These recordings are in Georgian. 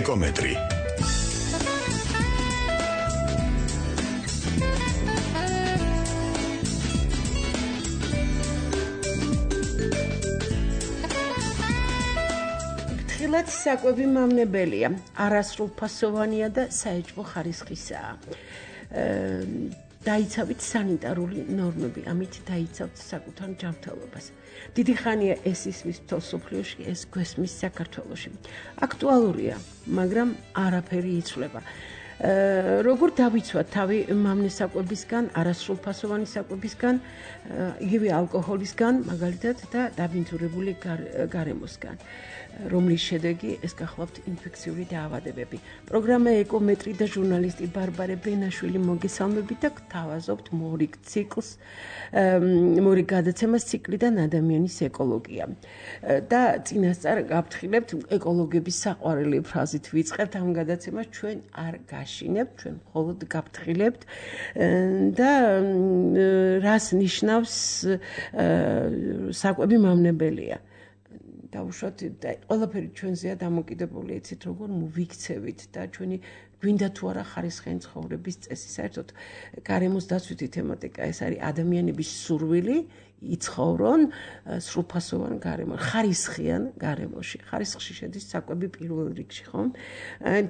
ეკომეტრი. ხილად საკვები მავნებელია, არასრულფასოვანია და საეჭვო ხარისხისაა. დაიცავით სანიტარული ნორმები, ამით დაიცავთ საკუთარ ჯანმრთელობას. დიდი ხანია ეს ისმის მსოფლიოში, ეს გვესმის საქართველოში. აქტუალურია, მაგრამ არაფერი იცვლება. როგორ დავიცვათ თავი მავნე საკვებისგან, არასრულფასოვანი საკვებისგან, იგივე ალკოჰოლისგან, მაგალითად და დაბინძურებული გარემოსგან. რომლის შედეგი ეს გახლავთ ინფექციური დაავადებები. პროგრამა ეკომეტრი და ჟურნალისტი ბარბარე ბენაშვილი მოგესალმებით და გთავაზობთ მორიგ ციკლს, მორიგ გადაცემას ციკლიდან ადამიანის ეკოლოგია. და წინასწარ გავფრთხილებთ ეკოლოგების საყვარელი ფრაზით ვიწყებთ ამ გადაცემას, ჩვენ არ გაშინებთ, ჩვენ მხოლოდ გავფრთხილებთ და რას ნიშნავს საკვები მავნებელია. დაუშვათ და ყველაფერი ჩვენზეა დამოკიდებული, იცით როგორ მოვიქცევით და ჩვენი გვინდა თუ არა ხარისხიანი ცხოვრების წესი. საერთოდ გარემოს დაცვითი თემატიკა ეს არის ადამიანების სურვილი იცხოვრონ სრულფასოვან გარემოში, ხარისხიან გარემოში. ხარისხში შედის საკვები პირველ რიგში, ხო?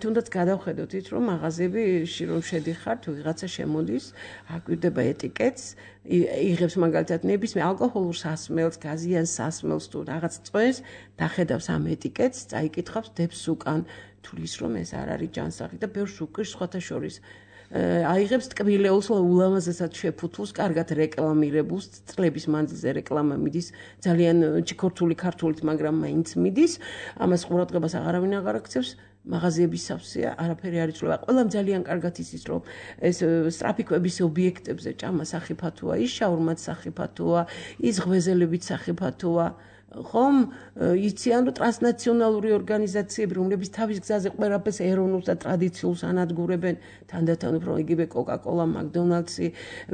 თუნდაც გადავხედოთ, რომ მაღაზიებში რომ შედიხართ, ვიღაცა შემოდის, აკვირდება ეტიკეტს, იღებს მაგალითად ნებისმიერ ალკოჰოლურ სასმელს, გაზიან სასმელს თუ რაღაც წვენს, დახედავს ამ ეტიკეტს, წაიკითხავს დებს უკან, თulis რომ ეს არ არის ჯანსაღი და ბევრს უკრის სხვათა შორის. აიღებს ტკბილეულს, ულამაზესად შეფუთულს, კარგად რეკლამირებულს, წლების მანძილზე რეკლამა მიდის, ძალიან ჩიქორთული ქართულით, მაგრამ მაინც მიდის, ამას ყურადღებას აღარავინ აღარ აქცევს. მაღაზიების სავსეა, არაფერი არ იცვლება. ყველამ ძალიან კარგად იცის, რომ ეს სტრაფიკვების ობიექტებზე ჭამა სახიფათოა, ის შაურმაც სახიფათოა, ის ღვეზელებით სახიფათოა. ხომ იციან რომ ტრანსნაციონალური ორგანიზაციები, რომლებიც თავის გზაზე ყველაფერს ეროვნულს და ტრადიციულს ანადგურებენ, თანდათან უფრო იგივე კოკა-კოლა, მაკდონალდსი,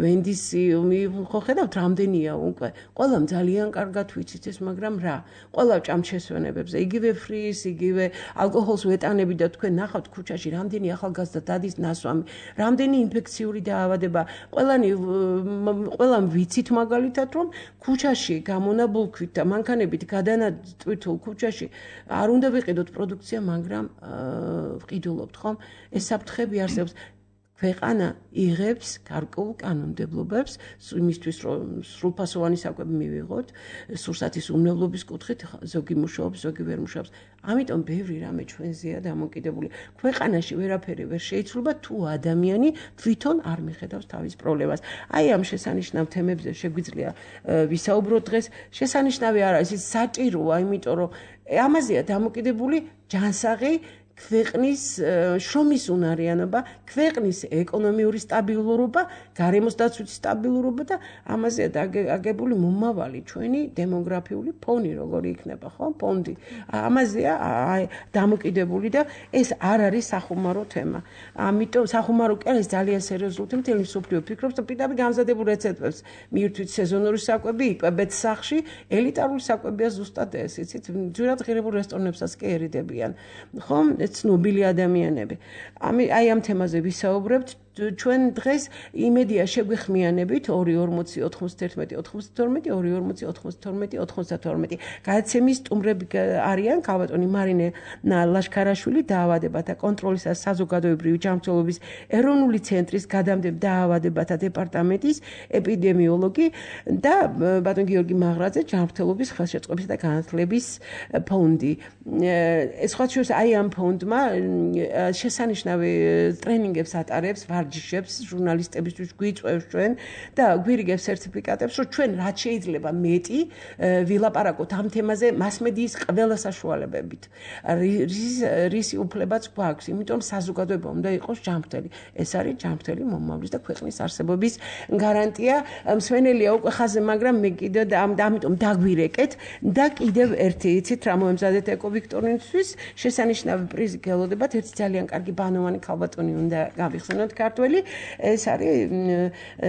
ვენდისი, ხო ხედავთ რამდენია უკვე. ყველამ ძალიან კარგად ვიცით ეს, მაგრამ რა? ყველა ჭამთ შესვენებებზე, იგივე ფრის, იგივე ალკოჰოლს ვეტანები და თქვენ ნახავთ ქუჩაში რამდენი ახალგაზრდა დადის ნასვამი, რამდენი ინფექციური დაავადება. ყველამ ვიცით მაგალითად, რომ ქუჩაში გამონაბულქვით და მანქანებით გადანატვირთულ ქუჩაში არ უნდა ვიყიდოთ პროდუქცია, მაგრამ ვყიდულობთ, ხომ? ეს საფრთხები არსებობს. ქვეყანა იღებს გარკვეულ კანონმდებლობებს იმისთვის, რომ სრულფასოვანი საკვები მივიღოთ, სურსათის უმრავლობის კუთხით ზოგი მუშაობს, ზოგი ვერ მუშაობს. ამიტომ ბევრი რამე ჩვენზეა დამოკიდებული. ქვეყანაში ვერაფერი ვერ შეიცვლება, თუ ადამიანი თვითონ არ მიხედავს თავის პრობლემას. აი ამ შესანიშნავ თემებზე შეგვიძლია ვისაუბროთ დღეს. შესანიშნავი არა, ეს საჭიროა, იმიტომ რომ ამაზეა დამოკიდებული ჯანსაღი ქვეყნის შრომის უნარიანობა, ქვეყნის ეკონომიური სტაბილურობა, გარემოს დაცვითი სტაბილურობა და ამაზეა აგებული მომავალი ჩვენი დემოგრაფიული ფონი, როგორი იქნება, ხო? ფონდი. ამაზეა დამოკიდებული და ეს არ არის სახუმარო თემა. ამიტომ სახუმარო კი არის ძალიან სერიოზული თემა, მთელი მსოფლიო ფიქრობს და პირდაპირ გამზადებულ რეცეპტებს მიირთვით სეზონური საკვები, იკვებეთ სახლში, ელიტარული საკვებია ზუსტად ეს, იცით, ძვირად ღირებულ რესტორნებსაც კი ერიდებიან. ხო? ცნობილი ადამიანები. აი ამ თემაზე ვისაუბრებთ. ჩვენ დღეს იმედია შეგვეხმიანებით 2-40-92-92. გადაცემის სტუმრები არიან ქალბატონი მარინე ლაშქარაშვილი, დაავადებათა კონტროლის და საზოგადოებრივი ჯანმრთელობის ეროვნული ცენტრის გადამდებ დაავადებათა დეპარტამენტის ეპიდემიოლოგი და ბატონ გიორგი მაღრაძე, ჯანმრთელობის ხელშეწყობის და განათლების ფონდი. სხვა შორის აი ამ ფონდმა შესანიშნავი ტრენინგებს ატარებს, ვარჯიშებს ჟურნალისტებისთვის გვიწევს ჩვენ და გვირიგებს სერტიფიკატებს, რომ ჩვენ რაც შეიძლება მეტი ვილაპარაკოთ ამ თემაზე მასმედიის ყველა საშუალებებით. რისი უფლებაც გვაქვს, იმიტომ საზოგადოება უნდა იყოს ჯანმრთელი. ეს არის ჯანმრთელი მომავლის და ქვეყნის არსებობის გარანტია. მსვენელია უკვე ხაზზე, მაგრამ მე კიდევ ამიტომ დაგვირეკეთ და კიდევ ერთი იცით რა მოემზადეთ ეკოვიქტორინისთვის შესანიშნავი პრიზი გელოდებათ. ერთი ძალიან კარგი ბანოვანი ქალბატონი უნდა გავიხსენოთ ქართველი. ეს არის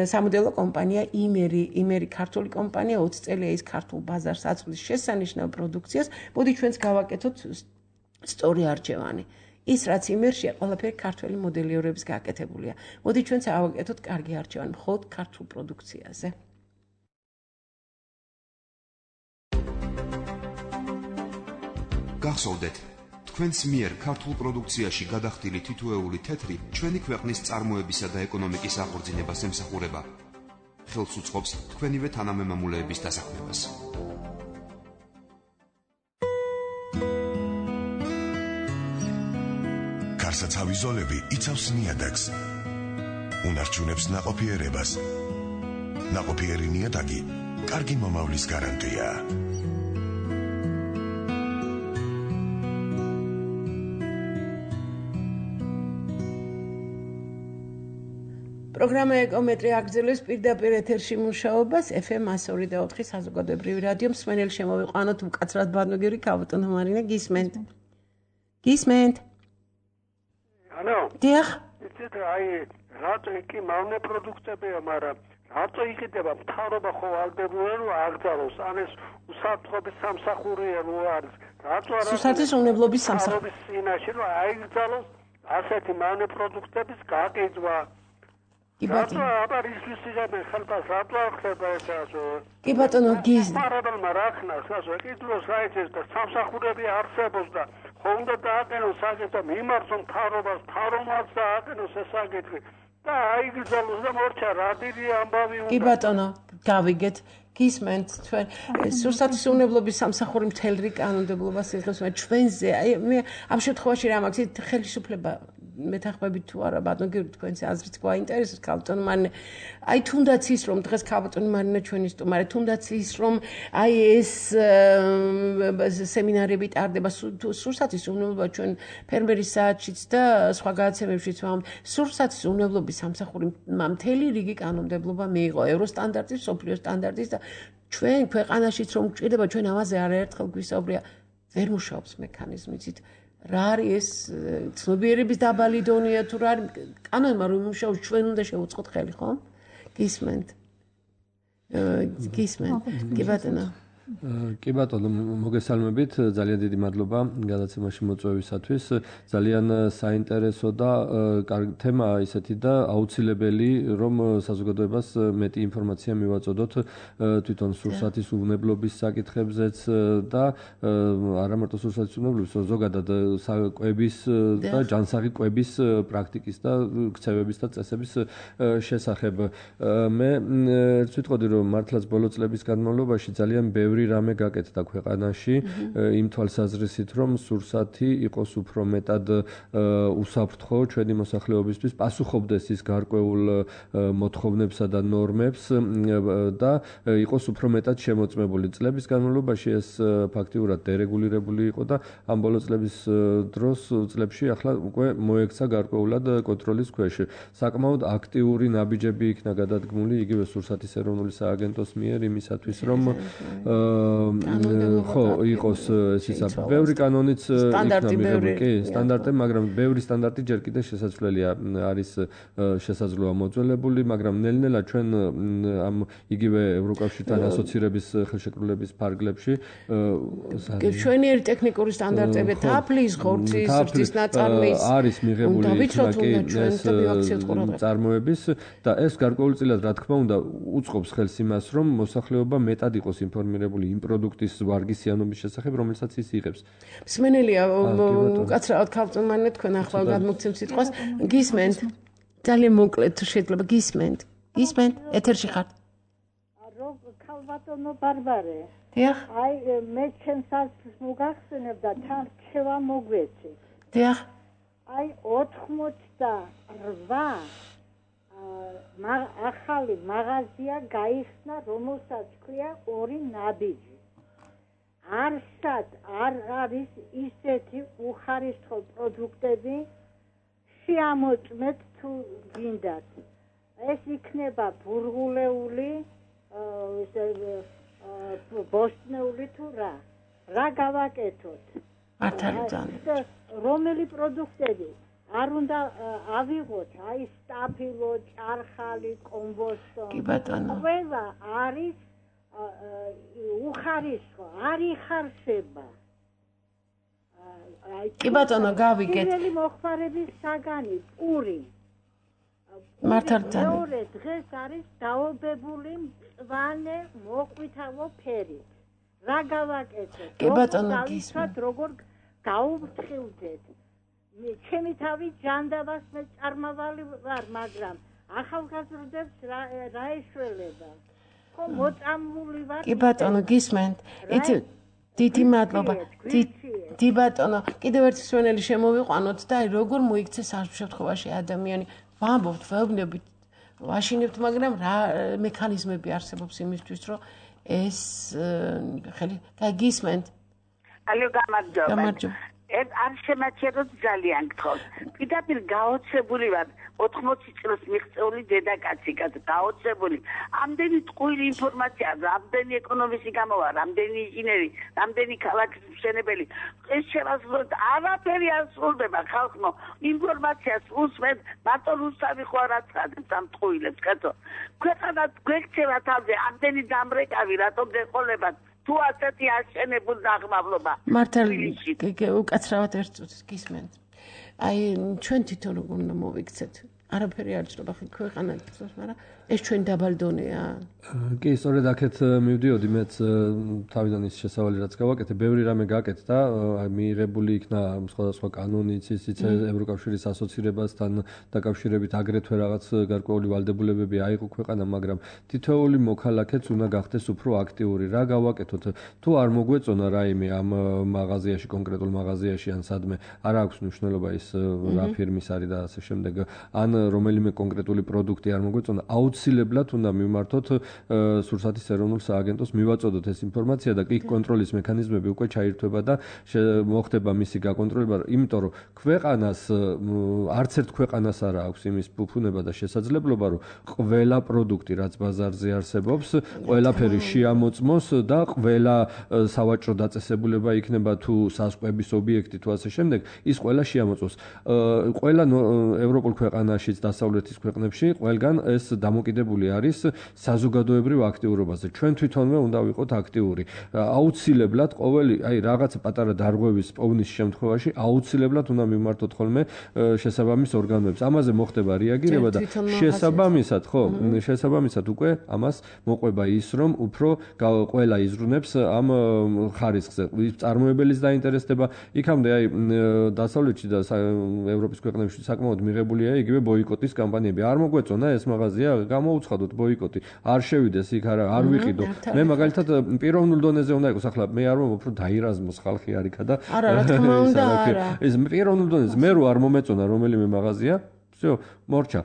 სამოდელო კომპანია იმერი ქართული კომპანია 20 წელია ის ქართულ ბაზარს აწვდის შესანიშნავ პროდუქციას. მოდი ჩვენც გავაკეთოთ სწორი არჩევანი. ის რაც იმერშია ყველაფერი ქართველი მოდელიორების გაკეთებულია. მოდი ჩვენც ავაკეთოთ კარგი არჩევანი მხოლოდ ქართულ პროდუქციაზე. გახსოვდეთ, თქვენს მიერ ქართულ პროდუქციაში გადახდილი თითოეული თეთრი ჩვენი ქვეყნის წარმოებისა და ეკონომიკის აღორძინებას ემსახურება. ხელს უწყობს თქვენივე თანამემამულეების დასაქმებას. გარსაცავი ზოლები იცავს ნიადაგს. უნარჩუნებს ნაყოფიერებას. ნაყოფიერი ნიადაგი კარგი მომავლის გარანტია. პროგრამა ეკომეტრი აგრძელებს პირდაპირ ეთერში მუშაობას FM 102.4 საზოგადოებრივი რადიო მსმენელი შემოვიყვანოთ მკაცრად ბანოგერი ქავტონო მარინა გისმენთ. გისმენთ. ანუ დიახ. იცით აი რატო იქი მავნე პროდუქტებია, მაგრამ რატო იყიდება მთავრობა ხო ალდებია რომ აგზავნოს ან ეს უსაფრთხოების სამსახურია რო არის. რატო არა სუსათის უნებლობის სამსახურის წინაშე რომ აიგზავნოს ასეთი მავნე პროდუქტების გაკეთება. კი ბატონო. აბა ისვისიღებენ ხელფას რატო ახდება ეს ასე? კი ბატონო გის. მარაბელმა რახნას ასე კიდროს საერთოდ და სამსახურები არსებობს და ხონდა დააყენოს საკითხი მიმართონ მთავრობას მთავრობაც დააყენოს ეს საკითხი და აიგზავნოს და მორჩა რა დიდი ამბავი უნდა. კი ბატონო გავიგეთ გისმენთ თქვენ სურსათის უნებლობის სამსახური მთელ რიგ კანონმდებლობას იღებს მაგრამ ჩვენზე აი მე ამ შემთხვევაში რა მაქვს ხელისუფლება მეთანხმებით თუ არა ბატონო თქვენს აზრით გვაინტერესებს ქალბატონო მარინა აი თუნდაც ის რომ დღეს ქალბატონო მარინა ჩვენი სტუმარი თუნდაც ის რომ აი ეს სემინარები ტარდება სურსათის უნებლობა ჩვენ ფერმერის საათშიც და სხვა გადაცემებშიც სურსათის უნებლობის სამსახური მთელი რიგი კანონმდებლობა მიიღო ევროსტანდარტის სოფლიო სტანდარტის და ჩვენ ქვეყანაშიც რომ გჭირდება ჩვენ ამაზე არაერთხელ გვისაუბრია ვერ მუშაობს მექანიზმი იცით რა არის ეს ცნობიერების დაბალი დონეა თუ რა არის კანონმა რომ მუშაობს ჩვენ უნდა შევუწყოთ ხელი ხო გისმენთ კი ბატონო კი ბატონო მოგესალმებით ძალიან დიდი მადლობა გადაცემაში მოწვევისათვის ძალიან საინტერესო და კარგი თემა ისეთი და აუცილებელი რომ საზოგადოებას მეტი ინფორმაცია მივაწოდოთ თვითონ სურსათის უნებლობის საკითხებზეც და არა მარტო სურსათის უნებლობის ზოგადად კვების და ჯანსაღი კვების პრაქტიკის და ქცევების და წესების შესახებ მე ერთ ვიტყოდი რომ მართლაც ბოლო წლების განმავლობაში ძალიან ბევრი რამე გაკეთდა ქვეყანაში იმ თვალსაზრისით რომ სურსათი იყოს უფრო მეტად უსაფრთხო ჩვენი მოსახლეობისთვის პასუხობდეს ის გარკვეულ მოთხოვნებსა და ნორმებს და იყოს უფრო მეტად შემოწმებული წლების განმავლობაში ეს ფაქტიურად დერეგულირებული იყო და ამ ბოლო წლების წლებში ახლა უკვე მოექცა გარკვეულად კონტროლის ქვეშ საკმაოდ აქტიური ნაბიჯები იქნა გადადგმული იგივე სურსათის ეროვნული სააგენტოს მიერ იმისათვის რომ ხო იყოს ეს ისა ბევრი კანონიც იქნა მიღებული კი სტანდარტები მაგრამ ბევრი სტანდარტი ჯერ კიდევ შესაძლებელია არის შესაძლოა მოძველებული მაგრამ ნელ-ნელა ჩვენ ამ იგივე ევროკავშირთან ასოცირების ხელშეკრულების ფარგლებში ჩვენიერი ტექნიკური სტანდარტები თაფლის ხორცის ზრდის ნაწარმის არის მიღებული ეს წარმოების და ეს გარკვეულწილად რა თქმა უნდა უწყობს ხელს იმას რომ მოსახლეობა მეტად იყოს ინფორმირებული იმ პროდუქტის ვარგისიანობის შესახებ, რომელსაც ის იღებს. მსმენელია უკაცრავად ქალბატონო მარინა თქვენ ახლა გადმოგცემთ სიტყვას. გისმენთ? ძალიან მოკლედ თუ შეიძლება გისმენთ? გისმენთ? ეთერში ხართ? ქალბატონო ბარბარე. დიახ. აი მე ჩემს აზრს მოგახსენებ და თან რჩევა მოგვეცით. დიახ. აი 88 ახალი მაღაზია გაიხსნა, რომელსაც ქვია ორი ნაბიჯი. არსად არ არის ისეთი უხარისხო პროდუქტები შეამოწმეთ თუ გინდათ. ეს იქნება ბურღულეული, ბოსტნეული თუ რა გავაკეთოთ? არ არის რომელი პროდუქტები არ უნდა ავიღოთ, აი სტაფილო, ჭარხალი, კომბოსტო. კი ბატონო. ყველა არის უხარისხო, არ იხარშება. კი ბატონო, გავიგეთ. პირველი მოხმარების საგანი პური. მართალია. მეორე დღეს არის დაობებული მწვანე მოყვითალო ფერით. რა გავაკეთოთ? კი ბატონო, გისმენთ. როგორ გაუფრთხილდეთ? ჩემი თავი ჯანდაბას მე წარმავალი ვარ, მაგრამ ახალგაზრდებს რა ეშველება? ხო მოწამული ვარ. კი ბატონო, გისმენთ. იცი დიდი მადლობა. დი ბატონო, კიდევ ერთი სვენელი შემოვიყვანოთ და აი როგორ მოიქცეს ამ შემთხვევაში ადამიანი. ვამბობთ, ვეუბნებით, ვაშინებთ, მაგრამ რა მექანიზმები არსებობს იმისთვის, რომ ეს ხელი გისმენთ. ალო, გამარჯობა. გამარჯობა. არ შემაჩეროთ ძალიან გთხოვთ. პირდაპირ გაოცებული ვარ 80 წელს მიღწეული დედაკაცი, გაოცებული. ამდენი ტყუილი ინფორმაცია, ამდენი ეკონომისტი გამოვა, ამდენი ინჟინერი, ამდენი ქალაქის მშენებელი. ეს შევასრულოთ, არაფერი არ სრულდება ხალხო. ინფორმაციას უსმენთ, მარტო რუსთავი ხო არ აცხადებს ამ ტყუილებს, კაცო. ქვეყანა გვექცევა თავზე, ამდენი დამრეკავი, რატომ დეყოლებათ? თუ ასეთი აშენებულ დაღმავლობა. მართალ უკაცრავად ერთ წუთს გისმენთ. აი ჩვენ თვითონ როგორ უნდა მოვიქცეთ? არაფერი არ ჭირდება ქვეყანა თვითონ, მაგრამ ეს ჩვენ დაბალ დონეა. კი, სწორედ აქეთ მივდიოდი მეც თავიდან ის შესავალი რაც გავაკეთე, ბევრი რამე გაკეთდა, მიიღებული იქნა სხვადასხვა კანონიც, ისიც ევროკავშირის ასოცირებასთან დაკავშირებით აგრეთვე რაღაც გარკვეული ვალდებულებები აიღო ქვეყანამ, მაგრამ თითოეული მოქალაქეც უნდა გახდეს უფრო აქტიური. რა გავაკეთოთ? თუ არ მოგვეწონა რაიმე ამ მაღაზიაში, კონკრეტულ მაღაზიაში ან სადმე, არ აქვს მნიშვნელობა ის რა ფირმის არის და ასე შემდეგ, ან რომელიმე კონკრეტული პროდუქტი არ მოგვეწონა, აუცილებლად უნდა მივმართოთ სურსათის ეროვნულ სააგენტოს, მივაწოდოთ ეს ინფორმაცია და იქ კონტროლის მექანიზმები უკვე ჩაირთვება და მოხდება მისი გაკონტროლება, იმიტომ რომ ქვეყანას არც ერთ ქვეყანას არ აქვს იმის ფუფუნება და შესაძლებლობა, რომ ყველა პროდუქტი, რაც ბაზარზე არსებობს, ყველაფერი შეამოწმოს და ყველა სავაჭრო დაწესებულება იქნება თუ საზღვების ობიექტი თუ ასე შემდეგ, ის ყველა შეამოწმოს. ყველა ევროპულ ქვეყანაშიც დასავლეთის ქვეყნებში ყველგან ეს დამოკიდებული არის საზოგადოებრივ აქტიურობაზე. ჩვენ თვითონვე უნდა ვიყოთ აქტიური. აუცილებლად ყოველი, აი რაღაცა პატარა დარღვევის პოვნის შემთხვევაში აუცილებლად უნდა მივმართოთ ხოლმე შესაბამის ორგანოებს. ამაზე მოხდება რეაგირება და შესაბამისად, ხო, შესაბამისად უკვე ამას მოყვება ის, რომ უფრო ყველა იზრუნებს ამ ხარისხზე. წარმოებელის დაინტერესდება, იქამდე აი დასავლეთში და ევროპის ქვეყნებში საკმაოდ მიღებულია იგივე ბოიკოტის კამპანიები. არ მოგვეწონა ეს მაღაზია, გამოუცხადოთ ბოიკოტი. არ შევიდეს იქ, არ ვიყიდო. მე მაგალითად პიროვნულ დონეზე უნდა იყოს, ახლა მე არ მომობ რომ დაირაზმოს ხალხი არ იქა და არა, რა თქმა უნდა, არა. ეს პიროვნულ დონეზე მე რო არ მომეწონა რომელიმე მაღაზია, всё, მორჩა.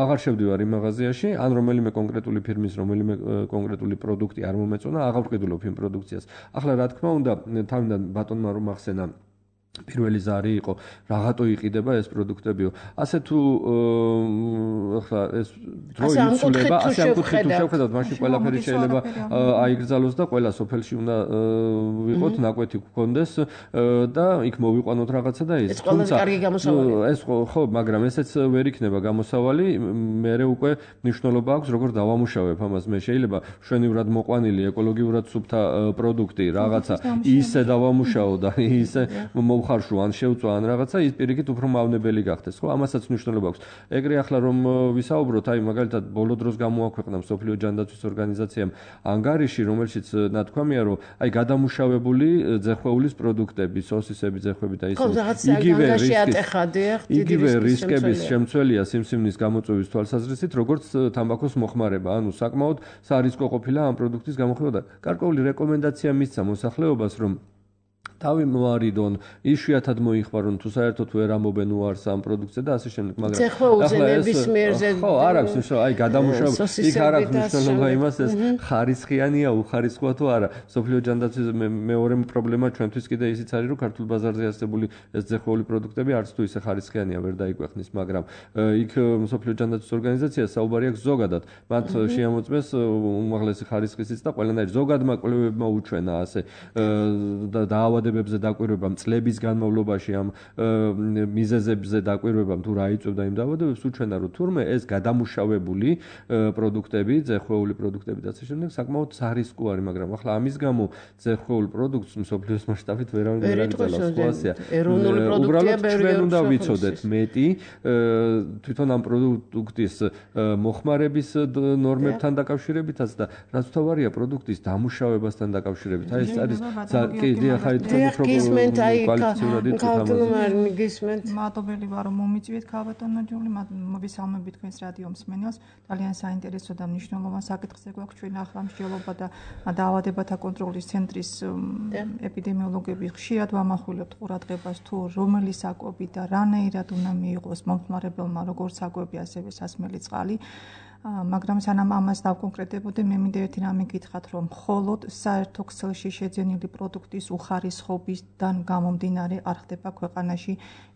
აღარ შევდივარ იმ მაღაზიაში, ან რომელიმე კონკრეტული ფირმის რომელიმე კონკრეტული პროდუქტი არ მომეწონა, აღარ ვყიდულობ იმ პროდუქციას. ახლა რა თქმა უნდა, თავიდან ბატონმა რომ ახსენა პირველი ზარი იყო, რაღაცო იყიდება ეს პროდუქტებიო. ასე თუ ახლა ეს დრო იცვლება, ასე ამ კუთხით შევხედავთ, მაშინ ყველაფერი შეიძლება აიგრძალოს და ყველა სოფელში უნდა ვიყოთ, ნაკვეთი გქონდეს და იქ მოვიყვანოთ რაღაცა და ეს ყველაზე კარგი გამოსავალი. ეს ხო, მაგრამ ესეც ვერ იქნება გამოსავალი, მე უკვე მნიშვნელობა აქვს, როგორ დავამუშავებ ამას. მე შეიძლება მშვენივრად მოყვანილი ეკოლოგიურად სუფთა პროდუქტი რაღაცა ისე დავამუშაო და ისე ხარშუ ან შევწვა ან რაღაცა ის პირიქით უფრო მავნებელი გახდეს, ხო? ამასაც მნიშვნელობა აქვს. ეგრე ახლა რომ ვისაუბროთ, აი მაგალითად ბოლო დროს გამოაქვეყნა მსოფლიო ჯანდაცვის ორგანიზაციამ ანგარიში, რომელშიც ნათქვამია, რომ აი გადამუშავებული ძეხვეულის პროდუქტები, სოსისები, ძეხვები და ისე იგივე რისკების შემცველია სიმსივნის გამოწვევის თვალსაზრისით, როგორც თამბაქოს მოხმარება, ანუ საკმაოდ სარისკო ყოფილა ამ პროდუქტის გამოხმარება და გარკვეული რეკომენდაცია მისცა მოსახლეობას, რომ თავი მოარიდონ, იშვიათად მოიხმარონ, თუ საერთოდ ვერ ამობენ უარს ამ პროდუქტზე და ასე შემდეგ, მაგრამ ახლა ეს ხო, არ აქვს მნიშვნელობა, აი გადამუშავება, იქ არ აქვს მნიშვნელობა იმას, ეს ხარისხიანია, უხარისხოა თუ არა. სოფლიო ჯანდაცვის მეორე პრობლემა ჩვენთვის კიდე ისიც არის, რომ ქართულ ბაზარზე არსებული ეს ძეხვეული პროდუქტები არც თუ ისე ხარისხიანია ვერ დაიკვეხნის, მაგრამ იქ სოფლიო ჯანდაცვის ორგანიზაცია საუბარი აქვს ზოგადად. მათ შეამოწმეს უმაღლესი ხარისხისიც და ყველანაირ ზოგადმა კვლევებმა უჩვენა ასე და დაავადებები ცვლილებებზე დაკვირვებამ, წლების განმავლობაში ამ მიზეზებზე დაკვირვებამ თუ რა იწვევდა იმ დაავადებებს, უჩვენა რომ თურმე ეს გადამუშავებული პროდუქტები, ძეხვეული პროდუქტები და ასე შემდეგ საკმაოდ სარისკო არის, მაგრამ ახლა ამის გამო ძეხვეულ პროდუქტს მსოფლიოს მასშტაბით ვერავინ ვერ აწევს სხვასია. ეროვნული პროდუქტია ჩვენ უნდა ვიცოდეთ მეტი თვითონ ამ პროდუქტის მოხმარების ნორმებთან დაკავშირებითაც და რაც თავარია პროდუქტის დამუშავებასთან დაკავშირებით. აი ეს არის მადლობელი ვარ რომ მომიწვიეთ ქალბატონო ჯული, მოგესალმებით თქვენს რადიო მსმენელს. ძალიან საინტერესო და მნიშვნელოვანი საკითხზე გვაქვს ჩვენ ახლა მსჯელობა და დაავადებათა კონტროლის ცენტრის ეპიდემიოლოგები ხშირად ვამახვილებთ ყურადღებას თუ რომელი საკვები და რანაირად უნდა მიიღოს მომხმარებელმა როგორც საკვები ასევე სასმელი წყალი. მაგრამ სანამ ამას დავკონკრეტებოდე, მე მინდა ერთი რამე გითხრათ, რომ მხოლოდ საერთო ქსელში შეძენილი პროდუქტის უხარისხობისგან გამომდინარე არ ხდება ქვეყანაში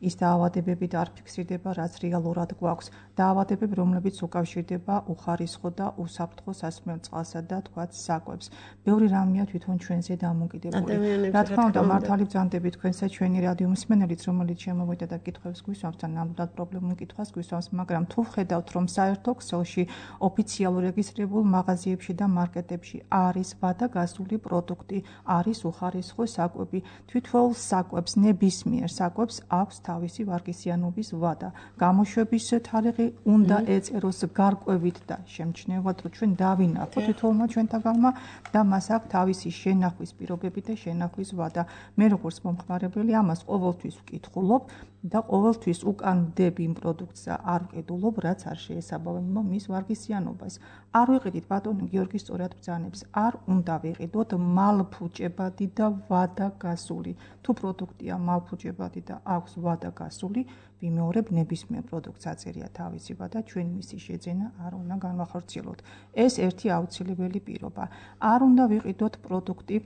ის დაავადებები და არ ფიქსირდება, რაც რეალურად გვაქვს. დაავადებები, რომლებიც უკავშირდება უხარისხო და უსაფრთხო სასმელ წყალსა და თქვათ საკვებს. ბევრი რამეა თვითონ ჩვენზე დამოკიდებული. რა თქმა უნდა, მართალი ბრძანდებით თქვენსა ჩვენი რადიო მსმენელიც, რომელიც შემოვიდა და კითხვებს გვისვამს და ნამდვილად პრობლემურ კითხვას გვისვამს, მაგრამ თუ ხედავთ, რომ საერთო ქსელში ოფიციალურ რეგისტრირებულ მაღაზიებში და მარკეტებში არის ვადაგასული პროდუქტი, არის უხარისხო საკვები. თვითონ საკვებს, ნებისმიერ საკვებს აქვს თავისი ვარგისიანობის ვადა. გამოშვების თარიღი უნდა ეწეროს გარკვევით და შემჩნევად, რომ ჩვენ დავინახოთ თვითონმა ჩვენთაგანმა და მას აქვს თავისი შენახვის პირობები და შენახვის ვადა. მე როგორც მომხმარებელი ამას ყოველთვის ვკითხულობ და ყოველთვის უკან ვდები იმ პროდუქტს და არ ვყიდულობ, რაც არ შეესაბამება მის ვარგისიანობას. არ ვიყიდით ბატონი გიორგი სწორად ბრძანებს, არ უნდა ვიყიდოთ მალფუჭებადი და ვადაგასული. თუ პროდუქტია მალფუჭებადი და აქვს ვადაგასული, ვიმეორებ ნებისმიერ პროდუქტს აწერია თავისი ვადა, ჩვენ მისი შეძენა არ უნდა განვახორციელოთ. ეს ერთი აუცილებელი პირობა. არ უნდა ვიყიდოთ პროდუქტი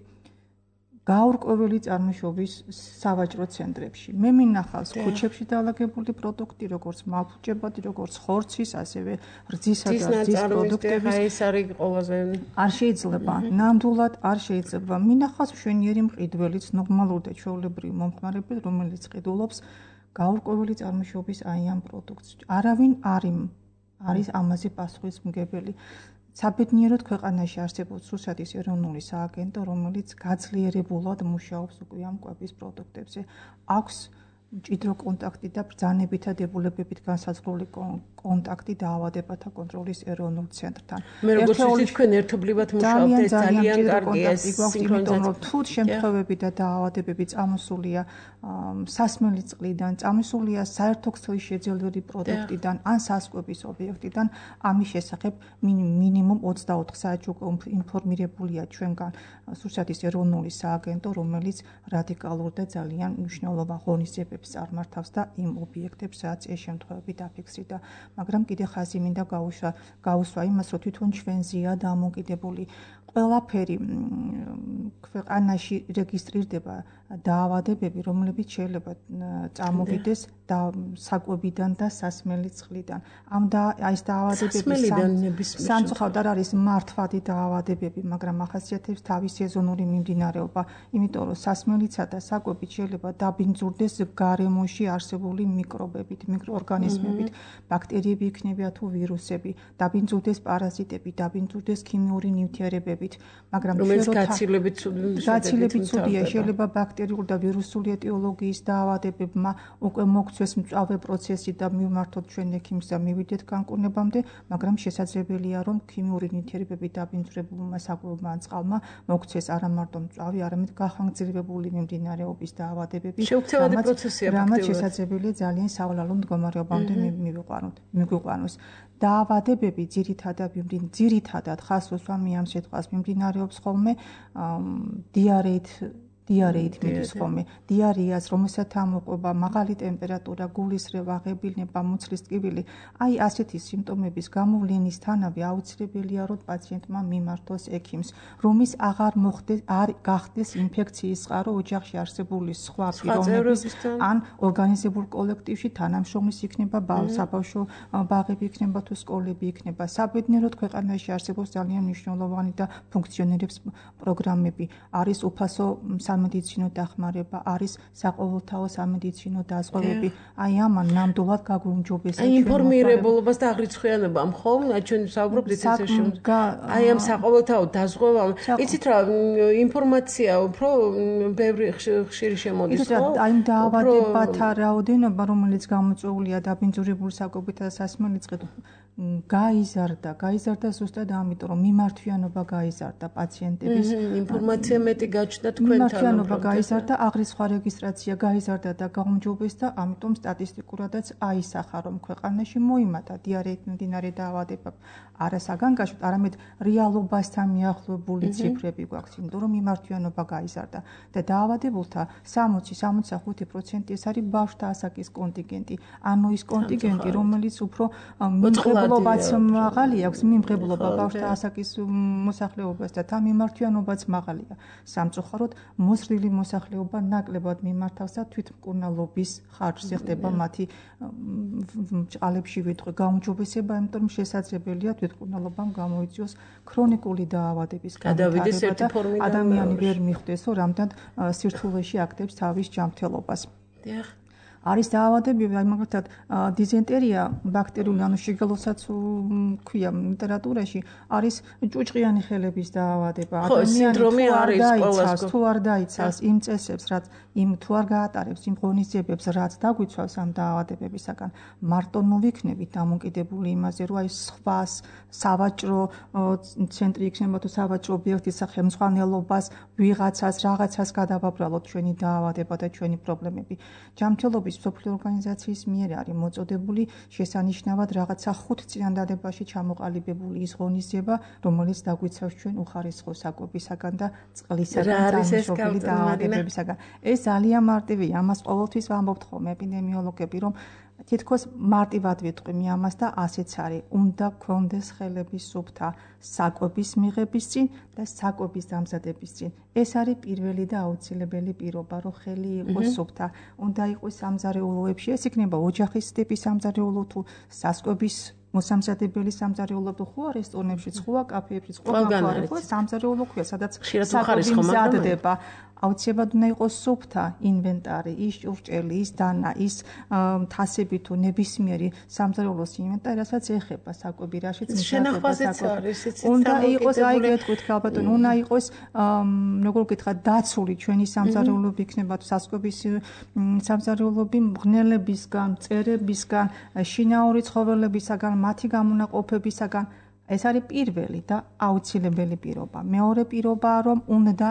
გაურკვეველი წარმოშობის სავაჭრო ცენტრებში. მე მინახავს ქუჩებში დალაგებული პროდუქტი, როგორც მალფუჭებადი, როგორც ხორცის, ასევე რძისა და რძის პროდუქტების. ეს არის ყველაზე არ შეიძლება, ნამდვილად არ შეიძლება. მინახავს მშვენიერი მყიდველიც, ნორმალური და ჩვეულებრივი მომხმარებელი, რომელიც ყიდულობს გაურკვეველი წარმოშობის აი ამ პროდუქტს. არავინ არის ამაზე პასუხისმგებელი. საბედნიეროდ ქვეყანაში არსებობს რუსეთის ეროვნული სააგენტო, რომელიც გაძლიერებულად მუშაობს უკვე ამ კვების პროდუქტებზე. აქვს მჭიდრო კონტაქტი და ბრძანებითა დებულებებით განსაზღვრული კონტაქტი დაავადებათა კონტროლის ეროვნულ ცენტრთან. მე როგორც ვიცი, თქვენ ერთობლივად მუშაობთ, ეს ძალიან კარგია ეს სინქრონიზაცია. თუ შემთხვევები და დაავადებები წამოსულია სასმელი წყლიდან, წამოსულია საერთო ქსელის შეძენილი პროდუქტიდან ან სასკვების ობიექტიდან, ამის შესახებ მინიმუმ 24 საათში ინფორმირებულია ჩვენგან რუსეთის ეროვნული სააგენტო, რომელიც რადიკალურ და ძალიან მნიშვნელოვან ღონისძიებებს წარმართავს და იმ ობიექტებს, რაც ეს შემთხვევები დაფიქსირდა. მაგრამ კიდე ხაზი მინდა გაუსვა იმას, რომ თვითონ ჩვენზეა დამოკიდებული ყველაფერი ქვეყანაში რეგისტრირდება დაავადებები, რომლებიც შეიძლება წამოვიდეს საკვებიდან და სასმელი წყლიდან. ეს დაავადებები სამწუხაროდ არ არის მართვადი დაავადებები, მაგრამ ახასიათებს თავის სეზონური მიმდინარეობა, იმიტომ რომ სასმელისა და საკვებით შეიძლება დაბინძურდეს გარემოში არსებული მიკრობებით, მიკროორგანიზმებით, ბაქტერიები იქნება თუ ვირუსები, დაბინძურდეს პარაზიტები, დაბინძურდეს ქიმიური ნივთიერებებით, მაგრამ გაცილებით ცუდია, შეიძლება ბაქტერიურ და ვირუსული ეტიოლოგიის დაავადებებმა უკვე მოგცეს მწვავე პროცესი და მივმართოთ ჩვენ ექიმს და მივიდეთ განკურნებამდე, მაგრამ შესაძლებელია რომ ქიმიური ნივთიერებები დაბინძურებულმა საკვებმა ან წყალმა მოგცეს არა მარტო მწვავე, არამედ გახანგრძლივებული მიმდინარეობის დაავადებები, რამაც შესაძლებელია ძალიან სავალალო მდგომარეობამდე მივიყვანოს. დაავადებები ძირითადად ხას უსვამი ამ სიტყვას მიმდინარეობს ხოლმე დიარეით მიდის ხოლმე. დიარეას, რომელსაც ამოყვება მაღალი ტემპერატურა, გულისრევა, ღებილნება, მუცლის ტკივილი, აი ასეთი სიმპტომების გამოვლენისთანავე აუცილებელია რომ პაციენტმა მიმართოს ექიმს, რომის აღარ გახდეს ინფექციის წყარო ოჯახში არსებული სხვა პიროვნების ან ორგანიზებულ კოლექტივში თანამშრომლის იქნება საბავშვო ბაღები იქნება თუ სკოლები იქნება. საბედნიეროდ ქვეყანაში არსებობს ძალიან მნიშვნელოვანი და ფუნქციონირებს პროგრამები. არის უფასო სამედიცინო დახმარება, არის საყოველთაო სამედიცინო დაზღვევები. აი ამან ნამდვილად გაგვუმჯობესა ჩვენ ინფორმირებულობას და აღრიცხვიანობა მხოლოდ ჩვენ ვსაუბრობთ ისე აი ამ საყოველთაო დაზღვევამ. იცით რა ინფორმაცია უფრო ბევრი ხშირი შემოდის ხო? აი დაავადებათა რაოდენობა რომელიც გამოწვეულია დაბინძურებული საკვებითა და სასმელი წყლით გაიზარდა ზუსტად ამიტომ რომ მიმართვიანობა გაიზარდა პაციენტების ინფორმაცია მეტი გაჩნდა თქვენთან მიმართვიანობა გაიზარდა აღრიცხვა რეგისტრაცია გაიზარდა და გაუმჯობესდა ამიტომ სტატისტიკურადაც აისახა რომ ქვეყანაში მოიმატა დიარეით მიმდინარე დაავადება არა საგანგაშოდ არამედ რეალობასთან მიახლოებული ციფრები გვაქვს იმიტომ რომ მიმართვიანობა გაიზარდა და დაავადებულთა 60-65% ეს არის ბავშვთა ასაკის კონტინგენტი ანუ ის კონტინგენტი რომელიც უფრო მიმღებლობაც მაღალი აქვს მიმღებლობა ბავშვთა ასაკის მოსახლეობას და თან მიმართვიანობაც მაღალია სამწუხაროდ მოზრდილი მოსახლეობა ნაკლებად მიმართავს და თვითმკურნალობის ხარჯზე ხდება მათი ჭყალებში ვიტყვი გაუმჯობესება იმიტომ რომ შესაძლებელია თვითმკურნალობამ გამოიწვიოს ქრონიკული დაავადების განვითარება და ადამიანი ვერ მიხვდეს რომ რამდენად სირთულეში აქტებს თავის ჯანმრთელობას არის დაავადებები, აი მაგალითად დიზენტერია ბაქტერიული ანუ შიგელოსაც ქვია ლიტერატურაში არის ჭუჭყიანი ხელების დაავადება. ადამიანი თუ არ დაიცავს იმ წესებს, რაც იმ თუ არ გაატარებს იმ ღონისძიებებს, რაც დაგვიცავს ამ დაავადებებისაგან, მარტო ნუ ვიქნებით დამოკიდებული იმაზე, რომ აი სხვა სავაჭრო ცენტრი იქნება თუ სავაჭრო ობიექტის სახელმძღვანელობას, ვიღაცას, რაღაცას გადავაბრალოთ ჩვენი დაავადება და ჩვენი პრობლემები. ჯანმრთელობის მსოფლიო ორგანიზაციის მიერ არის მოწოდებული შესანიშნავად რაღაცა 5 წინადადებაში ჩამოყალიბებული ის ღონისძიება, რომელიც დაგვიცავს ჩვენ უხარისხო საკვებისაგან და წყლისაგან დამუშავებული დაავადებებისაგან. ეს ძალიან მარტივია, ამას ყოველთვის ვამბობთ ხოლმე ეპიდემიოლოგები, რომ თითქოს მარტივად ვიტყვი ამას და ასეც არის. უნდა გქონდეს ხელების სუფთა საკვების მიღების წინ და საკვების დამზადების წინ. ეს არის პირველი და აუცილებელი პირობა, რომ ხელი იყოს სუფთა. უნდა იყოს სამზარეულოებში, ეს იქნება ოჯახის ტიპის სამზარეულო თუ სასკვების მოსამზადებელი სამზარეულო თუ ხო რესტორნებშიც, ხო კაფეებშიც, ხო მაგარი, ხო სამზარეულო ქვია, სადაც საკვები მზადდება. აუცილებლად უნდა იყოს სუფთა ინვენტარი, ის ჭურჭელი, ის დანა, ის თასები თუ ნებისმიერი სამზარეულოს ინვენტარი, რასაც ეხება საკვები, რაშიც შენახვაზეც არის, უნდა იყოს, აი გეტყვით ქალბატონო, უნდა იყოს როგორ გითხრათ, დაცული ჩვენი სამზარეულოები იქნება თუ სასკვების სამზარეულოები მღნელებისგან, მწერებისგან, შინაური ცხოველებისაგან, მათი გამონაყოფებისაგან. ეს არის პირველი და აუცილებელი პირობა. მეორე პირობაა, რომ უნდა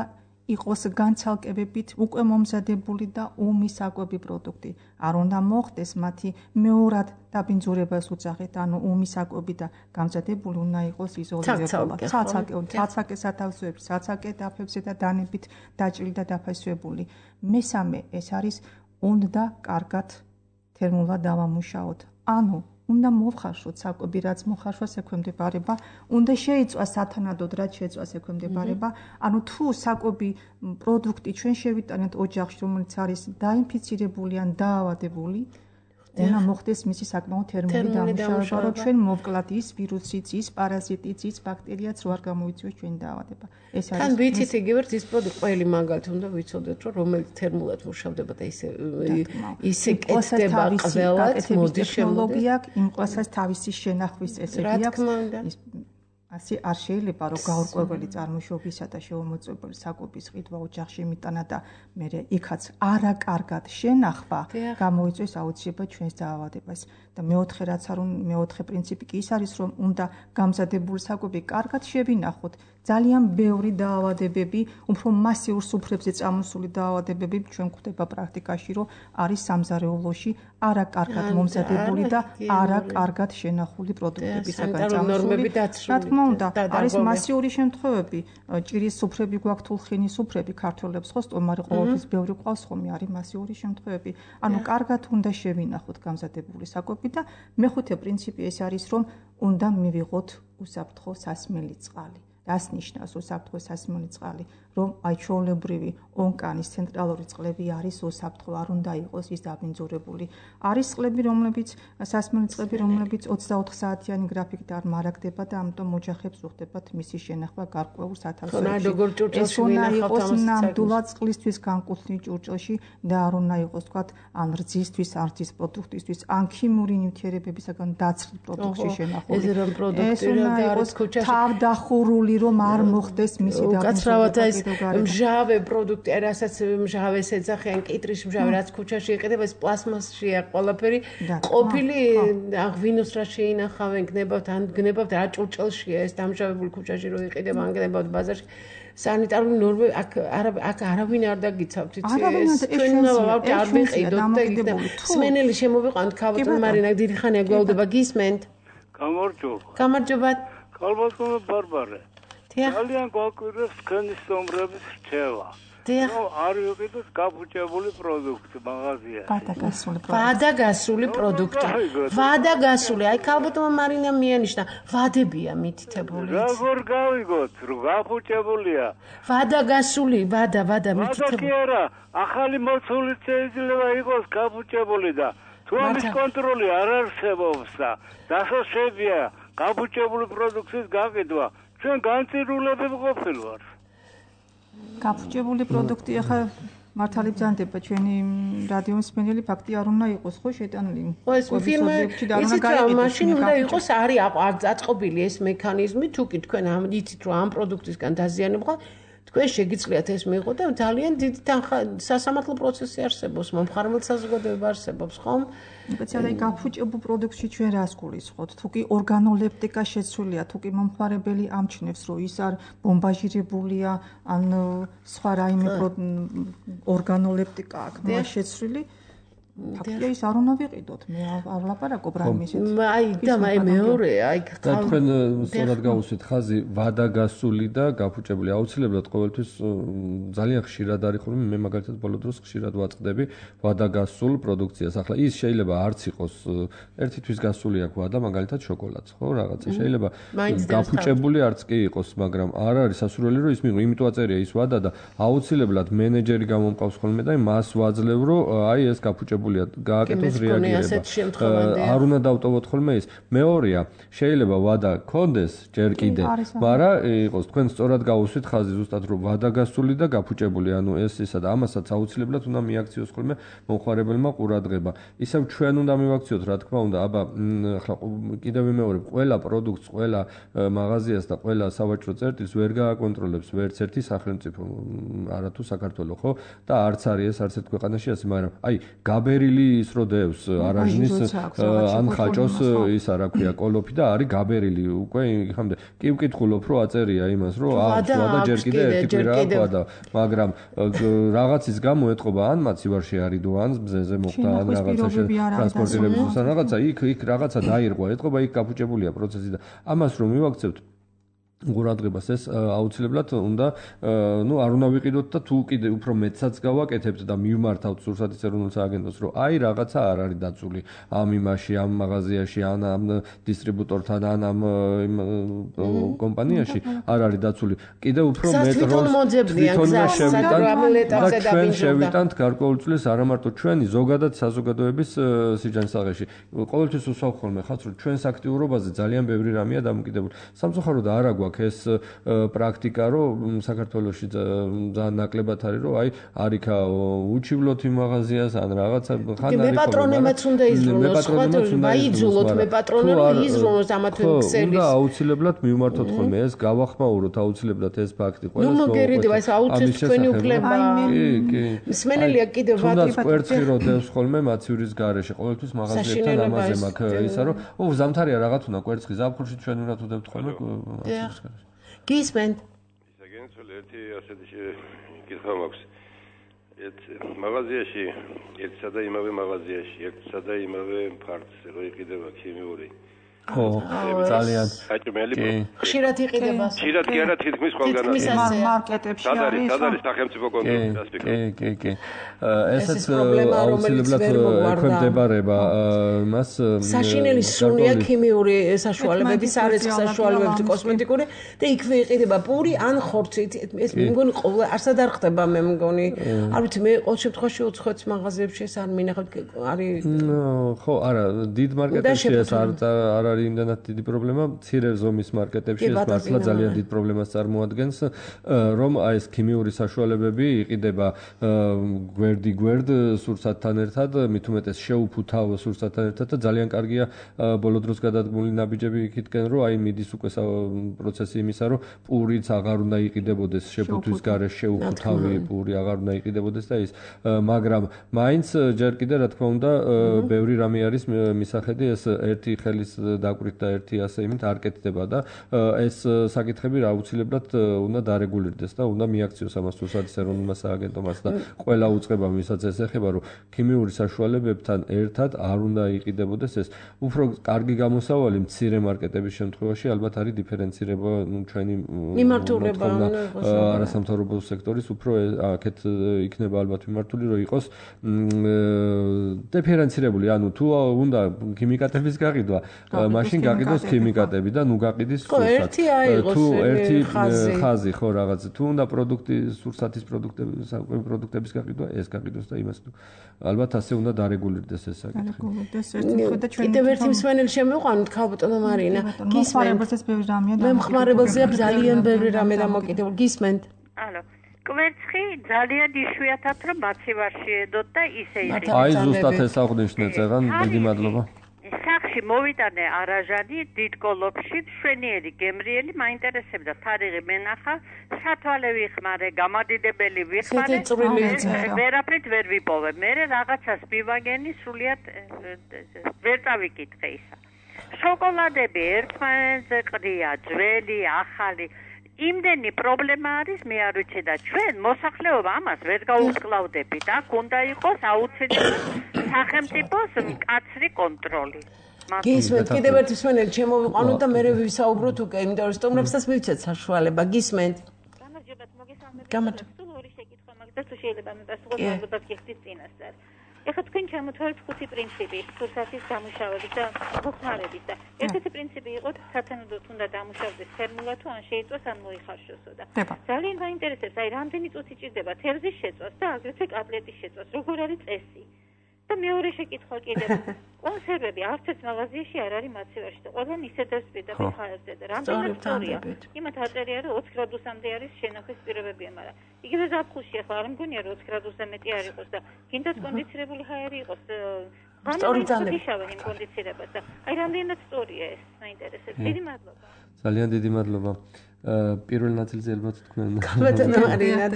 იყოს განცალკევებით უკვე მომზადებული და ომი საკვები პროდუქტი. არ უნდა მოხდეს მათი მეორად დაბინძურებას უძახეთ, ანუ ომი საკვები და გამზადებული უნდა იყოს იზოლირებული. ცალცალკე სათავსოებში, ცალცალკე დაფებზე და დანებით დაჭრილი და დაფასებული. მესამე ეს არის უნდა კარგად თერმულად დავამუშაოთ. ანუ უნდა მოვხარშოთ საკვები, რაც მოხარშვას ექვემდებარება, უნდა შეიწვას სათანადოდ, რაც შეწვას ექვემდებარება. ანუ თუ საკვები პროდუქტი ჩვენ შევიტანეთ ოჯახში, რომელიც არის დაინფიცირებული ან დაავადებული, უნდა მოხდეს მისი საკმაოდ თერმული დამუშავება, რომ ჩვენ მოვკლათ ის ვირუსიც, ის პარაზიტიც, ის ბაქტერიაც რო არ გამოიწვიოს ჩვენი დაავადება. ეს არის თან ვიცით იგივე ის პროდუქტი ყველი მაგალითად უნდა ვიცოდეთ, რომ რომელიც თერმულად მუშავდება და ისე კეთდება ყველაც მოდის ტექნოლოგია, იმ ყველას თავისი შენახვის წესები აქვს. ასე არ შეიძლება რომ გაურკვეველი წარმოშობისა და შეუმოწმებელი საკვების ყიდვა ოჯახში მიტანა და მე იქაც არაკარგად შენახვა გამოიწვევს აუცილებლად ჩვენს დაავადებას და მეოთხე პრინციპი კი ის არის რომ უნდა გამზადებული საკვები კარგად შევინახოთ ძალიან ბევრი დაავადებები უფრო მასიურ სუფრებზე წამოსული დაავადებები ჩვენ გვხვდება პრაქტიკაში რომ არის სამზარეულოში არაკარგად მომზადებული და არაკარგად შენახული პროდუქტებისაგან წამოსული უნდა არის მასიური შემთხვევები ჭირის სუფრები გვაქვს თულხინის სუფრები ქართველებს ხო სტომარი ყოველთვის ბევრი ყავს ხომ არის მასიური შემთხვევები ანუ კარგად უნდა შევინახოთ გამზადებული საკვები და მეხუთე პრინციპი ეს არის რომ უნდა მივიღოთ უსაფრთხო სასმელი წყალი რას ნიშნავს უსაფრთხო სასმელი წყალი, რომ აი ჩვეულებრივი ონკანის ცენტრალური წყლები არის უსაფრთხო, არ უნდა იყოს ის დაბინძურებული. არის წყლები, რომლებიც სასმელი წყლები, რომლებიც 24 საათიანი გრაფიკით არ მარაგდება და ამიტომ ოჯახებს უხდებათ მისი შენახვა გარკვეულ სათავსოებში. ეს უნდა იყოს ნამდვილად წყლისთვის განკუთვნილ ჭურჭელში და არ უნდა იყოს თქვა ან რძისთვის, ან რძის პროდუქტისთვის, ან ქიმიური ნივთიერებებისაგან დაცლილ პროდუქტში შენახული. ეს უნდა იყოს თავდახურული, რომ არ მოხდეს მისი დაბინძურება. მჟავე პროდუქტი, რასაც მჟავეს ეძახიან, კიტრის მჟავე, რაც ქუჩაში იყიდება, ეს პლასმასშია ყველაფერი. ყოფილი ღვინოს რა შეინახავენ, გნებავთ, ან გნებავთ რა ჭურჭელშია ეს დამჟავებული ქუჩაში რო იყიდება, ან გნებავთ ბაზარში. სანიტარული ნორმები აქ არავინ არ დაგიცავთ, იცი ეს ჩვენ უნდა არ ვიყიდოთ და სმენელი შემოვიყვანთ ქალბატონ მარინა, დიდი ხანია გველდება, გისმენთ? გამარჯობა. ქალბატონო ბარბარე. ძალიან გვაკვირვებს თქვენი სტომრების რჩევა. არ ვიყიდოთ გაფუჭებული პროდუქტი მაღაზიაში. ვადაგასული პროდუქტი. ვადაგასული, აი ქალბატონმა მარინამ მიანიშნა, ვადებია მითითებული. როგორ გავიგოთ, რომ გაფუჭებულია? ვადაგასული, ვადა მითითებული. კი არა, ახალი მოცულით შეიძლება იყოს გაფუჭებული და თუ ამის კონტროლი არ არსებობს და დასაშვებია გაფუჭებული პროდუქტის გაყიდვა, ჩვენ განწირულები ვყოფილვართ. გაფუჭებული პროდუქტი ახლა მართალი ბრძანდება ჩვენი რადიო მსმენელი ფაქტი არ უნდა იყოს ხო შეტანილი. ხო ეს ფილმი იცით რა მაშინ უნდა იყოს არის აწყობილი ეს მექანიზმი თუ კი თქვენ იცით რომ ამ პროდუქტისგან დაზიანება თქვენ შეგიძლიათ ეს მიიღოთ და ძალიან დიდი სასამართლო პროცესი არსებობს, მომხარებელ საზოგადოება არსებობს, ხომ? სპეციალურად გაფუჭებულ პროდუქტში ჩვენ რას გულისხმობთ? თუ კი ორგანოლეპტიკა შეცვლილია, თუ კი მომხარებელი ამჩნევს, რომ ის არ ბომბაჟირებულია, ან სხვა რაიმე ორგანოლეპტიკა აქვს შეცვლილი, ფაქტია ის არ უნდა ვიყიდოთ, მე არ ვლაპარაკობ რაიმისით. აი და მეორე, აი თქვენ სწორად გავუსვით ხაზი ვადაგასული და გაფუჭებული აუცილებლად ყოველთვის ძალიან ხშირად არის ხოლმე მე მაგალითად ბოლო დროს ხშირად ვაწყდები ვადაგასულ პროდუქციას. ახლა ის შეიძლება არც იყოს ერთი თვის გასული აქვს ვადა მაგალითად შოკოლადს, ხო რაღაცა შეიძლება გაფუჭებული არც კი იყოს, მაგრამ არ არის სასურველი რომ ის მიიღო, იმიტომ აწერია ის ვადა და აუცილებლად მენეჯერი გამომყავს ხოლმე და მას ვაძლევ რომ აი ეს გაფუჭებული გააკეთოს რეაგირება. არ უნდა დავტოვოთ ხოლმე ის. მეორეა, შეიძლება ვადა კონდეს ჯერ კიდე, მაგრამ იყოს თქვენ სწორად გავუსვით ხაზი ზუსტად რომ ვადაგასული და გაფუჭებული, ანუ ეს ისა და ამასაც აუცილებლად უნდა მიაქციოს ხოლმე მომხარებელმა ყურადღება. ისევ ჩვენ უნდა მივაქციოთ, რა თქმა უნდა, აბა ახლა კიდევ ვიმეორებ, ყველა პროდუქტს, ყველა მაღაზიას და ყველა სავაჭრო წერტილს ვერ გააკონტროლებს ვერც ერთი სახელმწიფო, არათუ საქართველო, ხო? და არც არის ეს არც ერთ ქვეყანაში ასე, მაგრამ აი გაბერილი ის რო დევს არაჟნის ან ხაჭოს ისა რა ქვია კოლოფი და არის გაბერილი უკვე ხამდე კი ვკითხულობ რომ აწერია იმას რომ ვადა ჯერ კიდე ერთი კვირა ყვა მაგრამ რაღაცის გამო ეთყობა ან მაცივარში არიდო ან მზეზე მოხდა ან რაღაცა ტრანსპორტირების ან რაღაცა იქ რაღაცა დაირღვა ეთყობა იქ გაფუჭებულია პროცესი და ამას რომ მივაქცევთ ყურადღებას ეს აუცილებლად უნდა არ უნდა ვიყიდოთ და თუ კიდე უფრო მეტსაც გავაკეთებთ და მივმართავთ სურსათის ეროვნულ სააგენტოს რომ აი რაღაცა არ არის დაცული ამ იმაში ამ მაღაზიაში ან ამ დისტრიბუტორთან ან ამ კომპანიაში არ არის დაცული კიდე უფრო მეტ როლს ჩვენ შევიტანთ გარკვეულწილს არა მარტო ჩვენი ზოგადად საზოგადოების სიჯანსაღეში ყოველთვის უსვავ ხოლმე ხალხს რომ ჩვენს აქტიურობაზე ძალიან ბევრი რამეა დამოკიდებული სამწუხაროდ არ აქვს ეს პრაქტიკა რომ საქართველოში ძალიან ნაკლებად არის რომ აი არიქა უჩივლოთ იმ მაღაზიას ან რაღაცა ხან არის მეპატრონებაც უნდა იზრუნოს სხვა ვაიძულოთ მეპატრონები იზრუნოს ამათვე ქსელის უნდა აუცილებლად მივმართოთ ხოლმე ეს გავახმაუროთ აუცილებლად ეს ფაქტი ყველას მოგერიდება ეს აუცილებლად თქვენი უფლება კი მსმენელია კიდევ ვატი კვერცხი რო დევს ხოლმე მაცივრის გარეშე ყოველთვის მაღაზიებთან ამაზე მაქვს ისა რომ ზამთარია რაღაც უნდა კვერცხი ზაფხულში ჩვენ უნდა ვდებთ ხოლმე გისმენთ ისაგენცული ერთი ასეთი კითხვა მაქვს მაღაზიაში ერთსა და იმავე მაღაზიაში ერთსა და იმავე ფარტს რო იყიდება ქიმიური ხო, ძალიან. საჭმელი. ხშირად იყიდება. ხშირად კი არა, თითქმის ყველგან. მარკეტებში არის. სად არის სახელმწიფო კონტროლის ასპექტი? კი. ესეც აუცილებლად ექვემდებარება მას საშინელი სუნია ქიმიური საშუალებების, სარეცხ საშუალებების, კოსმეტიკური და იქვე იყიდება პური ან ხორცით. ეს მე მგონი ყოველ არსად არ ხდება მე მგონი. არ ვიცი მე ყოველ შემთხვევაში უცხოეთის მაღაზიებში ეს არ მინახავთ არის ხო, არა, დიდ მარკეტებში ეს არ არის იმდანაც დიდი პრობლემა, მცირე ზომის მარკეტებში ეს მართლა ძალიან დიდ პრობლემას წარმოადგენს, რომ აი ეს ქიმიური საშუალებები იყიდება გვერდ სურსათთან ერთად, მით უმეტეს შეუფუთავ სურსათთან ერთად და ძალიან კარგია ბოლო დროს გადადგმული ნაბიჯები იქითკენ, რომ აი მიდის უკვე პროცესი იმისა, რომ პურიც აღარ უნდა იყიდებოდეს შეფუთვის გარეშე, შეუფუთავი პური აღარ უნდა იყიდებოდეს და ის, მაგრამ მაინც ჯერ კიდე რა თქმა უნდა ბევრი რამე არის მისახედი, ეს ერთი ხელის დაკვირით და ერთი ასე იმით არ კეთდება და ეს საკითხები რა აუცილებლად უნდა დარეგულირდეს და უნდა მიაქციოს ამას რუსეთის ეროვნულმა სააგენტომაც და ყველა უწყება ვისაც ეს ეხება, რომ ქიმიური საშუალებებთან ერთად არ უნდა იყიდებოდეს ეს. უფრო კარგი გამოსავალი მცირე მარკეტების შემთხვევაში ალბათ არის დიფერენცირება ჩვენი მიმართულება არასამთავრობო სექტორის უფრო აქეთ იქნება ალბათ მიმართული, რომ იყოს დიფერენცირებული, ანუ თუ უნდა ქიმიკატების გაყიდვა, მაშინ გაყიდოს ქიმიკატები და ნუ გაყიდის სურსათი. თუ ერთი ხაზი ხო რაღაც, თუ უნდა სურსათის პროდუქტების გაყიდვა, ეს გაყიდოს და იმას თუ ალბათ ასე უნდა დარეგულირდეს ეს საკითხი. კიდევ ერთი მსმენელი შემოვყვანოთ, ქალბატონო მარინა. გისმენთ ბევრი რამეა. მე მხმარებელზეა ძალიან ბევრი რამე დამოკიდებული. გისმენთ? ალო. კვერცხი ძალიან იშვიათად რომ მაცივარში ედოთ და ისე იყიდება. აი ზუსტად ეს აღვნიშნე წეღან, დიდი მადლობა. სახში მოვიტანე არაჟანი დიდ კოლოფში, მშვენიერი გემრიელი, მაინტერესებდა თარიღი მენახა, სათვალე ვიხმარე, გამადიდებელი ვიხმარე, ვერაფრით ვერ ვიპოვე. მე რაღაცას მივაგენი, სრულიად ვერ წავიკითხე ისა. შოკოლადები ერთმანეთზე ყრია, ძველი, ახალი. იმდენი პრობლემა არის, მე არ ვიცი და ჩვენ მოსახლეობა ამას ვერ გაუკლავდებით. აქ უნდა იყოს აუცილებლად სახელმწიფოს მკაცრი კონტროლი. გისმენთ, კიდევ ერთი მსმენელი შემოვიყვანოთ და მე ვისაუბროთ უკვე, იმიტომ რომ სტუმრებსაც მივცეთ საშუალება. გისმენთ? გამარჯობათ, მოგესალმებით. გამარჯობა. ორი შეკითხვა მაგას თუ შეიძლება მიპასუხოთ გიხდის წინასწარ. ეხლა თქვენ ჩამოთვალეთ 5 პრინციპი სურსათის დამუშავების და მოხმარების და ერთ-ერთი პრინციპი იყო სათანადოდ უნდა დამუშავდეს ფერმულა თუ ან შეიწვას ან მოიხარშოსო და ძალიან მაინტერესებს აი რამდენი წუთი ჭირდება თევზის შეწვას და აგრეთვე კატლეტის შეწვას როგორ არის წესი და მეორე შეკითხვა კიდევ კონსერვები არც ერთ მაღაზიაში არ არის მაცივარში და ყველგან ისედაც პირდაპირ ხარჯზე და რამდენად სწორია იმათ აწერია რომ 20 გრადუსამდე არის შენახვის პირობებია მაგრამ იგივე ზაფხულში ახლა არ მგონია რომ 20 გრადუსზე მეტი არ იყოს და კიდაც კონდიცირებული ჰაერი იყოს სწორიტანები შავენ იმ კონდიცირებას და აი რამდენად სწორია ეს მაინტერესებს დიდი მადლობა ძალიან დიდი მადლობა პირველ ნაწილზე ალბათ თქვენ ბატონო მარინა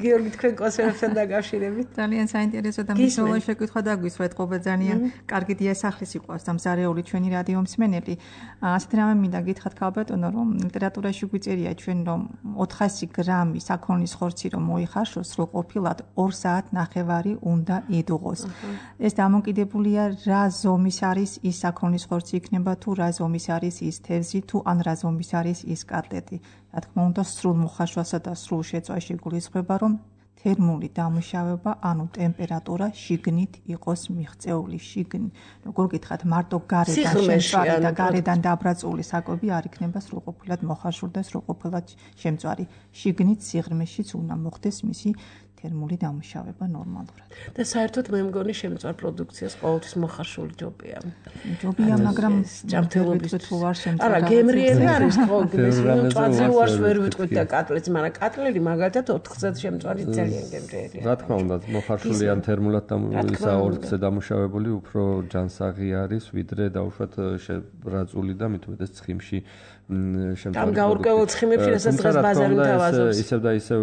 გიორგი თქვენ კონსერვებთან დაკავშირებით ძალიან საინტერესო და მნიშვნელოვანი შეკითხვა დაგვისვეთ ყობა ძალიან კარგი დიასახლის იყო ამ ზარეული ჩვენი რადიო მსმენელი ასეთ რამე მინდა გითხრათ ქალბატონო რომ ლიტერატურაში გვიწერია ჩვენ რომ 400 გრამი საქონლის ხორცი რომ მოიხარშოს რო ყოფილად 2 საათნახევარი უნდა იდუღოს ეს დამოკიდებულია რა ზომის არის ის საქონლის ხორცი იქნება თუ რა ზომის არის ის თევზი თუ ან რა ზომის არის ის რა თქმა უნდა სრულ მოხარშვასა და სრულ შეწვაში გულისხმება რომ თერმული დამუშავება ანუ ტემპერატურა შიგნით იყოს მიღწეული შიგნით როგორ გითხრათ მარტო გარედან შემწვარი და გარედან დაბრაწული საკვები არ იქნება სრულყოფილად მოხარშული და სრულყოფილად შემწვარი შიგნით სიღრმეშიც უნდა მოხდეს მისი თერმული დამუშავება ნორმალურად. და საერთოდ მე მგონი შემწვარ პროდუქციას ყოველთვის მოხარშული ჯობია. ჯობია, მაგრამ ჯანმრთელობის თუ არ შემწვარ. არა, გემრიელი არის ხო, მწვანე უარს ვერ ვიტყვით და კატლეტს, მაგრამ კატლერი მაგალითად 4-ზე შემწვარი ძალიან გემრიელია. რა თქმა უნდა, მოხარშული ან თერმულად ისა 2-ზე დამუშავებული უფრო ჯანსაღი არის, ვიდრე დაუშვათ შებრაწული და მით უმეტეს ცხიმში შემთხვევაში. ამ გაურკვეველ ცხიმებში რასაც დღეს ბაზარი თავაზობს. ისევ და ისევ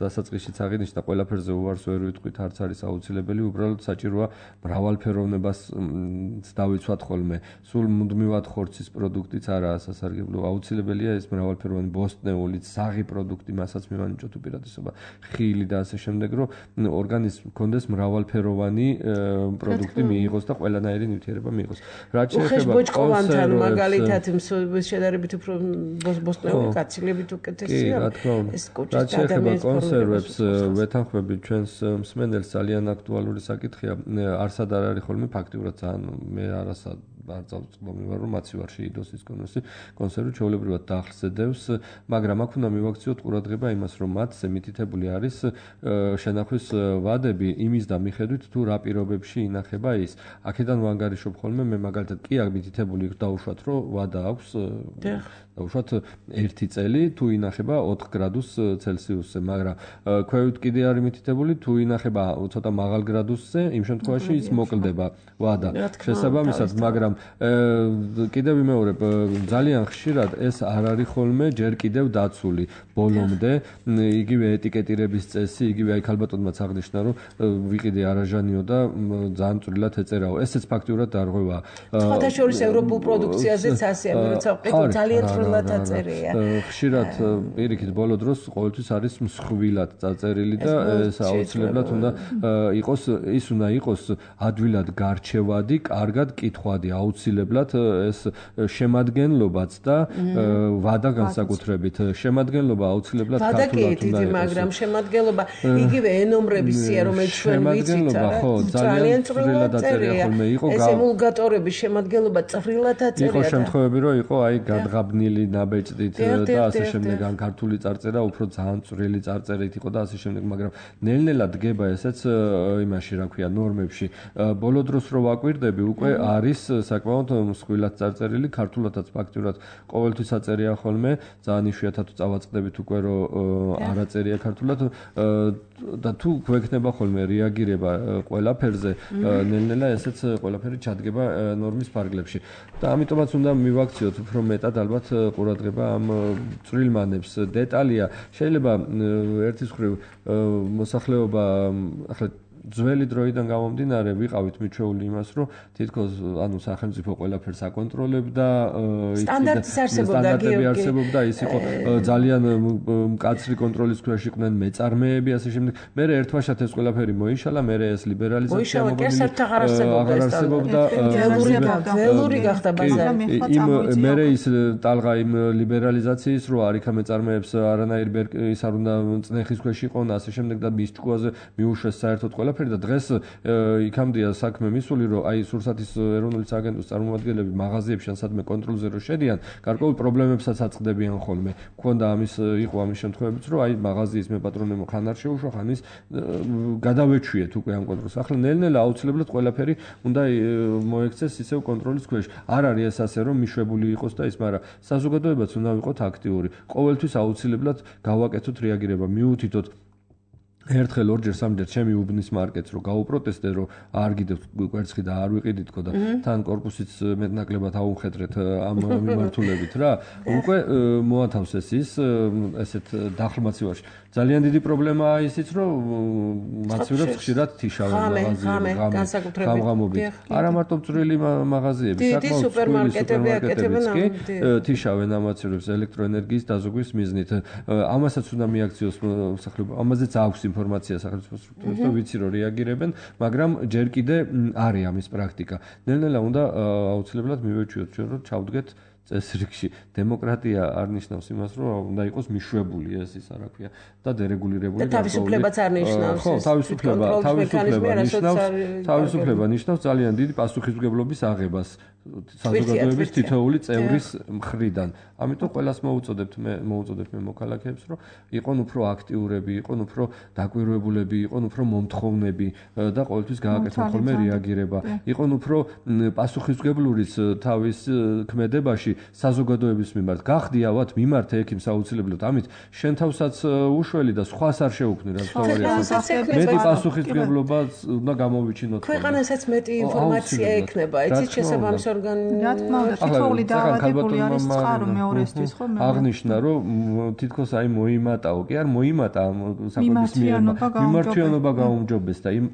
დასაწყისშიც აღინიშნა ყველაფერზე უარს ვერ ვიტყვით, არც არის აუცილებელი, უბრალოდ საჭიროა მრავალფეროვნებას დავიცვათ ხოლმე. სულ მუდმივად ხორცის პროდუქტიც არაა სასარგებლო, აუცილებელია ეს მრავალფეროვანი ბოსტნეული, საღი პროდუქტი, მასაც მივანიჭოთ უპირატესობა, ხილი და ასე შემდეგ, რომ ორგანიზმს მქონდეს მრავალფეროვანი პროდუქტი მიიღოს და ყველანაირი ნივთიერება მიიღოს. რაც შეეხება კონსერვებს, მაგალითად შედარებით უფრო ბოსტნეული კაცილებით უკეთესია. ეს კუჭის და ადამიანის კონსერვებს ვეთანხმებით ჩვენს მსმენელს ძალიან აქტუალური საკითხია. არსად არ არის ხოლმე ფაქტიურად ძალიან მე არასად არ წავწლობი ვარ რომ მაცი ვარ შეიდოს ის კონსერვი ჩვეულებრივად დახლს ედევს, მაგრამ აქ უნდა მივაქციოთ ყურადღება იმას, რომ მათზე მითითებული არის შენახვის ვადები იმის და მიხედვით თუ რა პირობებში ინახება ის. აქედან ვანგარიშობ ხოლმე მე მაგალითად კი აქ მითითებული დაუშვათ რომ ვადა აქვს დაუშვათ 1 წელი თუ ინახება 4 გრადუს ცელსიუსზე, მაგრამ ქვევით კიდე არის მითითებული თუ ინახება ცოტა მაღალ გრადუსზე, იმ შემთხვევაში ის მოკლდება ვადა. შესაბამისად, მაგრამ კიდევ ვიმეორებ, ძალიან ხშირად ეს არ არის ხოლმე ჯერ კიდევ დაცული ბოლომდე, იგივე ეტიკეტირების წესი, იგივე აი ქალბატონმაც აღნიშნა, რომ ვიყიდე არაჟანიო და ძალიან წვრილად ეწერაო. ესეც ფაქტიურად დარღვევაა. სხვადასხვა ევროპულ პროდუქციაზეც ასეა, როცა ვყიდო ძალიან წვრილად აწერია. ხშირად პირიქით ბოლო დროს ყოველთვის არის მსხვილად დაწერილი და ეს აუცილებლად უნდა იყოს, ის უნდა იყოს ადვილად გარჩევადი, კარგად კითხვადი, აუცილებლად ეს შემადგენლობაც და ვადა განსაკუთრებით. შემადგენლობა აუცილებლად ქართულად უნდა იყოს. მაგრამ შემადგენლობა იგივე ენომრების სია, რომელიც ჩვენ ვიცით, ხო, ძალიან წვრილად აწერია ხოლმე იყო. ეს ემულგატორების შემადგენლობა წვრილად აწერია. იყო შემთხვევები, რომ იყო აი გადღაბნილი ნაბეჭდით და ასე შემდეგ, ან ქართული წარწერა უფრო ძალიან წვრილი წარწერით იყო და ასე შემდეგ, მაგრამ ნელ-ნელა დგება ესეც იმაში, რა ქვია, ნორმებში. ბოლო დროს რო ვაკვირდები, უკვე არის საკმაოდ მსხვილად წარწერილი, ქართულადაც ფაქტიურად ყოველთვის აწერია ხოლმე, ძალიან იშვიათად წავაწყდებით უკვე რომ არ აწერია ქართულად და თუ გვექნება ხოლმე რეაგირება ყველაფერზე, ნელ-ნელა ესეც ყველაფერი ჩადგება ნორმის ფარგლებში. და ამიტომაც უნდა მივაქციოთ უფრო მეტად ალბათ ყურადღება ამ წვრილმანებს. დეტალია შეიძლება ერთის მხრივ მოსახლეობა ახლა ძველი დროიდან გამომდინარე ვიყავით მიჩვეული იმას, რომ თითქოს ანუ სახელმწიფო ყველაფერს აკონტროლებდა, სტანდარტები არსებობდა, ის იყო ძალიან მკაცრი კონტროლის ქვეშ იყვნენ მეწარმეები, ასე შემდეგ. მე ერთვაშად ეს ყველაფერი მოიშალა, მე ეს ლიბერალიზაცია აღარსებობდა, ველური გახდა ბაზარი. მე ის ტალღა იმ ლიბერალიზაციის რო არ იქა მეწარმეებს არანაირი ის არ უნდა წნეხის ქვეშ იყვნენ, ასე შემდეგ და მის ჭკუაზე მიუშვეს საერთოდ და დღეს იქამდეა საქმე მისული, რომ აი სურსათის ეროვნული სააგენტოს წარმომადგენლები მაღაზიებში ან სადმე კონტროლზე რო შედიან, გარკვეულ პრობლემებსაც აწყდებიან ხოლმე. მქონდა იყო ამის შემთხვევებიც, რომ აი მაღაზიის მეპატრონემ ხან არ შეუშვა, ხან ის გადავეჩვიეთ უკვე ამ კონტროლს. ახლა ნელ-ნელა აუცილებლად ყველაფერი უნდა მოექცეს ისევ კონტროლის ქვეშ. არ არის ეს ასე, რომ მიშვებული იყოს და ის, მაგრამ საზოგადოებაც უნდა ვიყოთ აქტიური. ყოველთვის აუცილებლად გავაკეთოთ რეაგირება, მიუთითოთ ერთხელ ორჯერ სამჯერ ჩემი უბნის მარკეტს რო გაუპროტესტე, რომ არ გიდევთ კვერცხი და არ ვიყიდითქო და თან კორპუსიც მეტნაკლებად აუხედრეთ ამ მიმართულებით რა. უკვე მოათავსეს ის ესეთ დახლმაცივარში. ძალიან დიდი პრობლემაა ისიც, რომ მაცივრებს ხშირად თიშავენ მაღაზიები, გამღამობით. არა მარტო წვრილი მაღაზიები, საკმაოდ სუპერმარკეტები აკეთებენ თიშავენ ამ მაცივრებს ელექტროენერგიის დაზოგვის მიზნით. ამასაც უნდა მიაქციოს მოსახლეობა. ამაზეც აქვს ინფორმაცია სახელმწიფო სტრუქტურებს და ვიცი რომ რეაგირებენ, მაგრამ ჯერ კიდე არის ამის პრაქტიკა. ნელ-ნელა უნდა აუცილებლად მივეჩვიოთ ჩვენ რომ ჩავდგეთ წესრიგში. დემოკრატია არ ნიშნავს იმას, რომ უნდა იყოს მიშვებული ეს ის რა ქვია და დერეგულირებული. და თავისუფლებაც არ ნიშნავს. ხო, თავისუფლება ნიშნავს ძალიან დიდი პასუხისმგებლობის აღებას საზოგადოების თითოეული წევრის მხრიდან. ამიტომ ყველას მოუწოდებთ მე მოქალაქეებს, რომ იყონ უფრო აქტიურები, იყონ უფრო დაკვირვებულები, იყონ უფრო მომთხოვნები და ყოველთვის გააკეთონ ხოლმე რეაგირება. იყონ უფრო პასუხისმგებლურიც თავის ქმედებაში შემთხვევაში საზოგადოების მიმართ გახდიავთ მიმართე ექიმს აუცილებლად, ამით შენ თავსაც უშველი და სხვას არ შეუქმნი, რაც თავარია. მეტი პასუხისმგებლობა უნდა გამოვიჩინოთ. ქვეყანასაც მეტი ინფორმაცია ექნება, იცით შესაბამის ორგანო. რა თქმა უნდა, თითოეული დაავადებული არის წყარო მეორესთვის, ხო? აღნიშნა, რომ თითქოს აი მოიმატაო, კი არ მოიმატა საკვების მიმართვიანობა გაუმჯობეს და იმ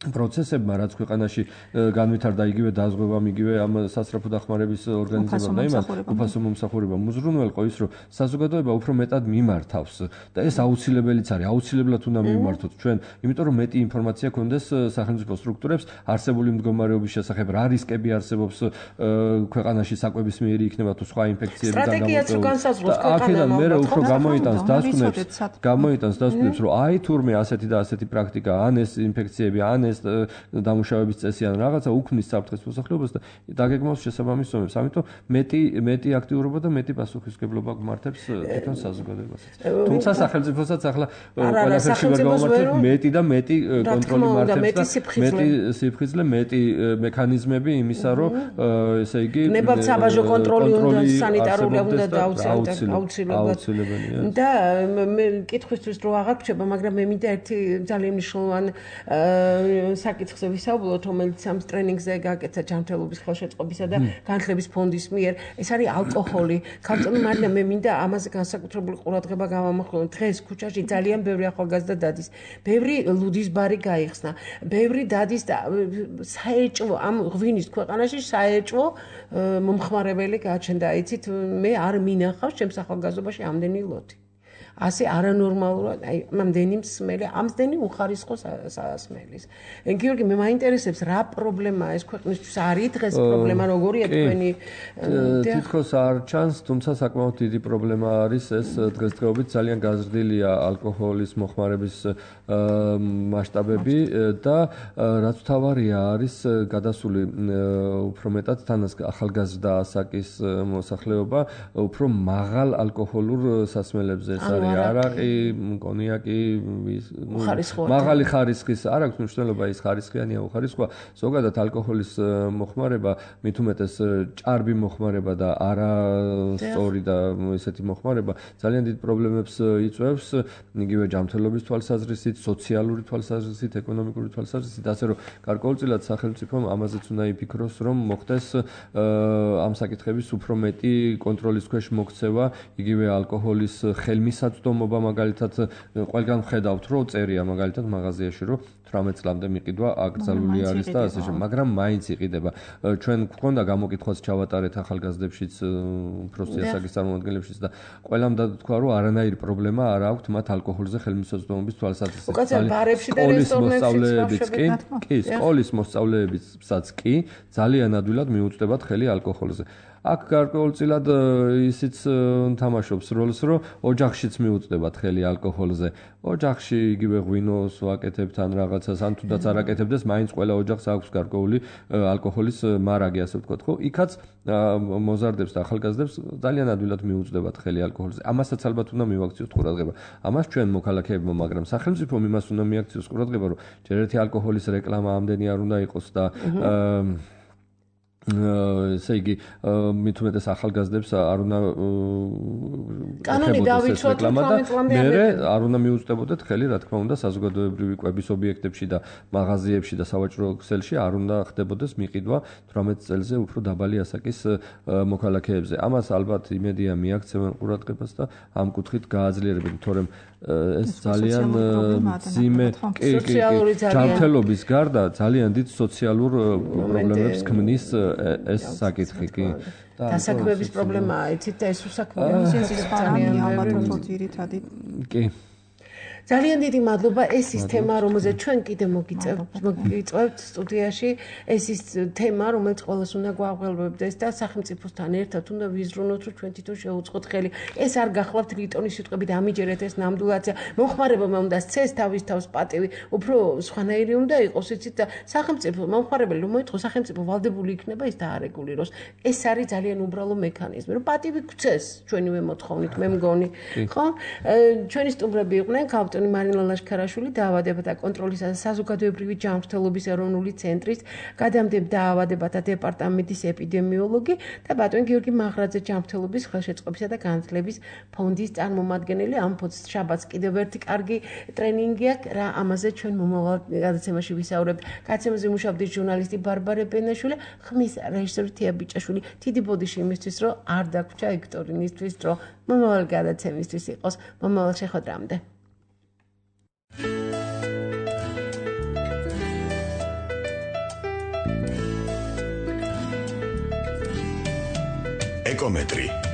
პროცესებმა, რაც ქვეყანაში განვითარდა იგივე დაზღვევამ, იგივე ამ სასწრაფო დახმარების ორგანიზებამ და იმან უფასო მომსახურებამ უზრუნველყო ის, რომ საზოგადოება უფრო მეტად მიმართავს და ეს აუცილებელიც არის, აუცილებლად უნდა მიმართოთ ჩვენ, იმიტომ რომ მეტი ინფორმაცია ქონდეს სახელმწიფო სტრუქტურებს არსებული მდგომარეობის შესახებ, რა რისკები არსებობს ქვეყანაში საკვების მიერი იქნება თუ სხვა ინფექციები და აქედან მე უფრო გამოიტანს დასკვნებს, რომ აი თურმე ასეთი და ასეთი პრაქტიკა, ან ეს ინფექციები, ან ეს დამუშავების წესი ან რაღაცა უქმნის საფრთხეს მოსახლეობას და დაგეგმავს შესაბამის ზომებს. ამიტომ მეტი აქტიურობა და მეტი პასუხისმგებლობა გმართებს თვითონ საზოგადოებასაც. თუმცა სახელმწიფოსაც ახლა ყველაფერში ვერ გავმართებთ მეტი და მეტი კონტროლი მართებს და მეტი სიფხიზლე, მეტი მექანიზმები იმისა, რომ ესე იგი ნებავსაბაჟო კონტროლი უნდა სანიტარული უნდა აუცილებელია. და მე კითხვისთვის რო აღარ გრჩება, მაგრამ მე მინდა ერთი ძალიან მნიშვნელოვანი საკითხზე ვისაუბროთ, რომელიც ამ ტრენინგზე გაკეთა ჯანმრთელობის ხელშეწყობისა და განათლების ფონდის მიერ. ეს არის ალკოჰოლი. ქართული მარია, მე მინდა ამაზე განსაკუთრებული ყურადღება გავამახვილო. დღეს ქუჩაში ძალიან ბევრი ახალგაზრდა დადის. ბევრი ლუდის ბარი გაიხსნა. ბევრი დადის და საეჭვო ამ ღვინის ქვეყანაში საეჭვო მომხმარებელი გაჩნდა. იცით, მე არ მინახავს ჩემს ახალგაზრდობაში ამდენი ლოდი. ასე არანორმალურად, აი, ამდენი მსმელი, ამდენი უხარისხო სასმელის. გიორგი, მე მაინტერესებს რა პრობლემაა ეს ქვეყნისთვის, არის დღეს პრობლემა როგორია თქვენი? თითქოს არ ჩანს, თუმცა საკმაოდ დიდი პრობლემა არის ეს დღესდღეობით ძალიან გაზრდილია ალკოჰოლის მოხმარების მასშტაბები და რაც თავარია არის გადასული უფრო მეტად თანაც ახალგაზრდა ასაკის მოსახლეობა უფრო მაღალ ალკოჰოლურ სასმელებზე ეს არის არაყი, კონიაკი, მაღალი ხარისხის, არ აქვს მნიშვნელობა ის ხარისხიანია უხარისხოა. ზოგადად ალკოჰოლის მოხმარება, მით უმეტეს ჭარბი მოხმარება და არასწორი და ესეთი მოხმარება ძალიან დიდ პრობლემებს იწვევს, იგივე ჯანმრთელობის თვალსაზრისით, სოციალური თვალსაზრისით, ეკონომიკური თვალსაზრისით, ასე რომ გარკვეულწილად სახელმწიფომ ამაზეც უნდა იფიქროს, რომ მოხდეს ამ საკითხების უფრო მეტი კონტროლის ქვეშ მოქცევა, იგივე ალკოჰოლის ხელმისაწვდომობა მაგალითად ყველგან ხედავთ, რომ წერია მაგალითად მაღაზიაში, რომ 18 წლამდე მიყიდვა აკრძალული არის და ასე შემდეგ, მაგრამ მაინც იყიდება. ჩვენ გვქონდა გამოკითხვაც ჩავატარეთ ახალგაზრდებშიც, უფროსი ასაკის წარმომადგენლებშიც და ყველამ დათქვა, რომ არანაირი პრობლემა არ აქვთ მათ ალკოჰოლზე ხელმისაწვდომობის თვალსაზრისით. სკოლის მოსწავლეებსაც კი ძალიან ადვილად მიუწვდებათ ხელი ალკოჰოლზე. აქ გარკვეულწილად ისიც თამაშობს როლს, რომ ოჯახშიც მიუწვდებათ ხელი ალკოჰოლზე. ოჯახში იგივე ღვინოს ვაკეთებთ ან რაღაცას, ან თუნდაც არ აკეთებდეს, მაინც ყველა ოჯახს აქვს გარკვეული ალკოჰოლის მარაგი, ასე ვთქვათ, ხო? იქაც მოზარდებს და ახალგაზრდებს ძალიან ადვილად მიუწვდებათ ხელი ალკოჰოლზე. ამასაც ალბათ უნდა მივაქციოთ ყურადღება. ამას ჩვენ მოქალაქეებმა, მაგრამ სახელმწიფომ იმას უნდა მიაქციოს ყურადღება, რომ ჯერ ერთი ალკოჰოლის რეკლამა ამდენი არ უნდა იყოს და ესე იგი მით უმეტეს ახალგაზრდებს არ უნდა კანონი დავიცვათ მე არ უნდა მიუწვდებოდეთ ხელი რა თქმა უნდა საზოგადოებრივი კვების ობიექტებში და მაღაზიებში და სავაჭრო ქსელში არ უნდა ხდებოდეს მიყიდვა 18 წელზე უფრო დაბალი ასაკის მოქალაქეებზე. ამას ალბათ იმედია მიაქცევენ ყურადღებას და ამ კუთხით გააძლიერებენ, თორემ ეს ძალიან მძიმე ჯანმრთელობის გარდა ძალიან დიდ სოციალურ პრობლემებს ქმნის ეს საკითხი კი. დასაქმების პრობლემაა, იცით და ეს უსაქმოა ძალიან ალბათ ძირითადი. კი. ძალიან დიდი მადლობა. ეს ის თემა, რომელზეც ჩვენ კიდე მოგიწევთ სტუდიაში, ეს ის თემა, რომელიც ყველას უნდა გვაღველვებდეს და სახელმწიფოსთან ერთად უნდა ვიზრუნოთ, რომ ჩვენ თვითონ შევუწყოთ ხელი. ეს არ გახლავთ რიტონის სიტყვები და ამიჯერეთ ეს ნამდვილადია. მომხმარებელმა უნდა სცეს თავის თავს პატივი, უფრო სხვანაირი უნდა იყოს, იცით და სახელმწიფო მომხმარებელი რომ მოიწყო, სახელმწიფო ვალდებული იქნება ის დაარეგულიროს. ეს არის ძალიან უბრალო მექანიზმი, რომ პატივი გვცეს ჩვენივე მოთხოვნით, მე მგონი. ხო? ჩვენი სტუმრები იყვნენ ბატონი მარინა ლაშქარაშვილი, დაავადებათა კონტროლისა და საზოგადოებრივი ჯანმრთელობის ეროვნული ცენტრის გადამდებარე დაავადებათა დეპარტამენტის ეპიდემიოლოგი და ბატონი გიორგი მაღრაძე, ჯანმრთელობის ხელშეწყობისა და განათლების ფონდის წარმომადგენელი. ამ შაბათს კიდევ ერთი კარგი ტრენინგი აქვს, რა ამაზე ჩვენ მომავალ გადაცემაში ვისაუბრებთ. გადაცემაზე მუშაობდი ჟურნალისტი ბარბარე ბენაშვილი, ხმის რეჟისორი თია ბიჭაშვილი. დიდი ბოდიში იმისთვის, რომ არ დაგვრჩა ექტორინისთვის, რომ მომავალ გადაცემისთვის იყოს. მომავალ შეხვედრამდე. ეკომეტრი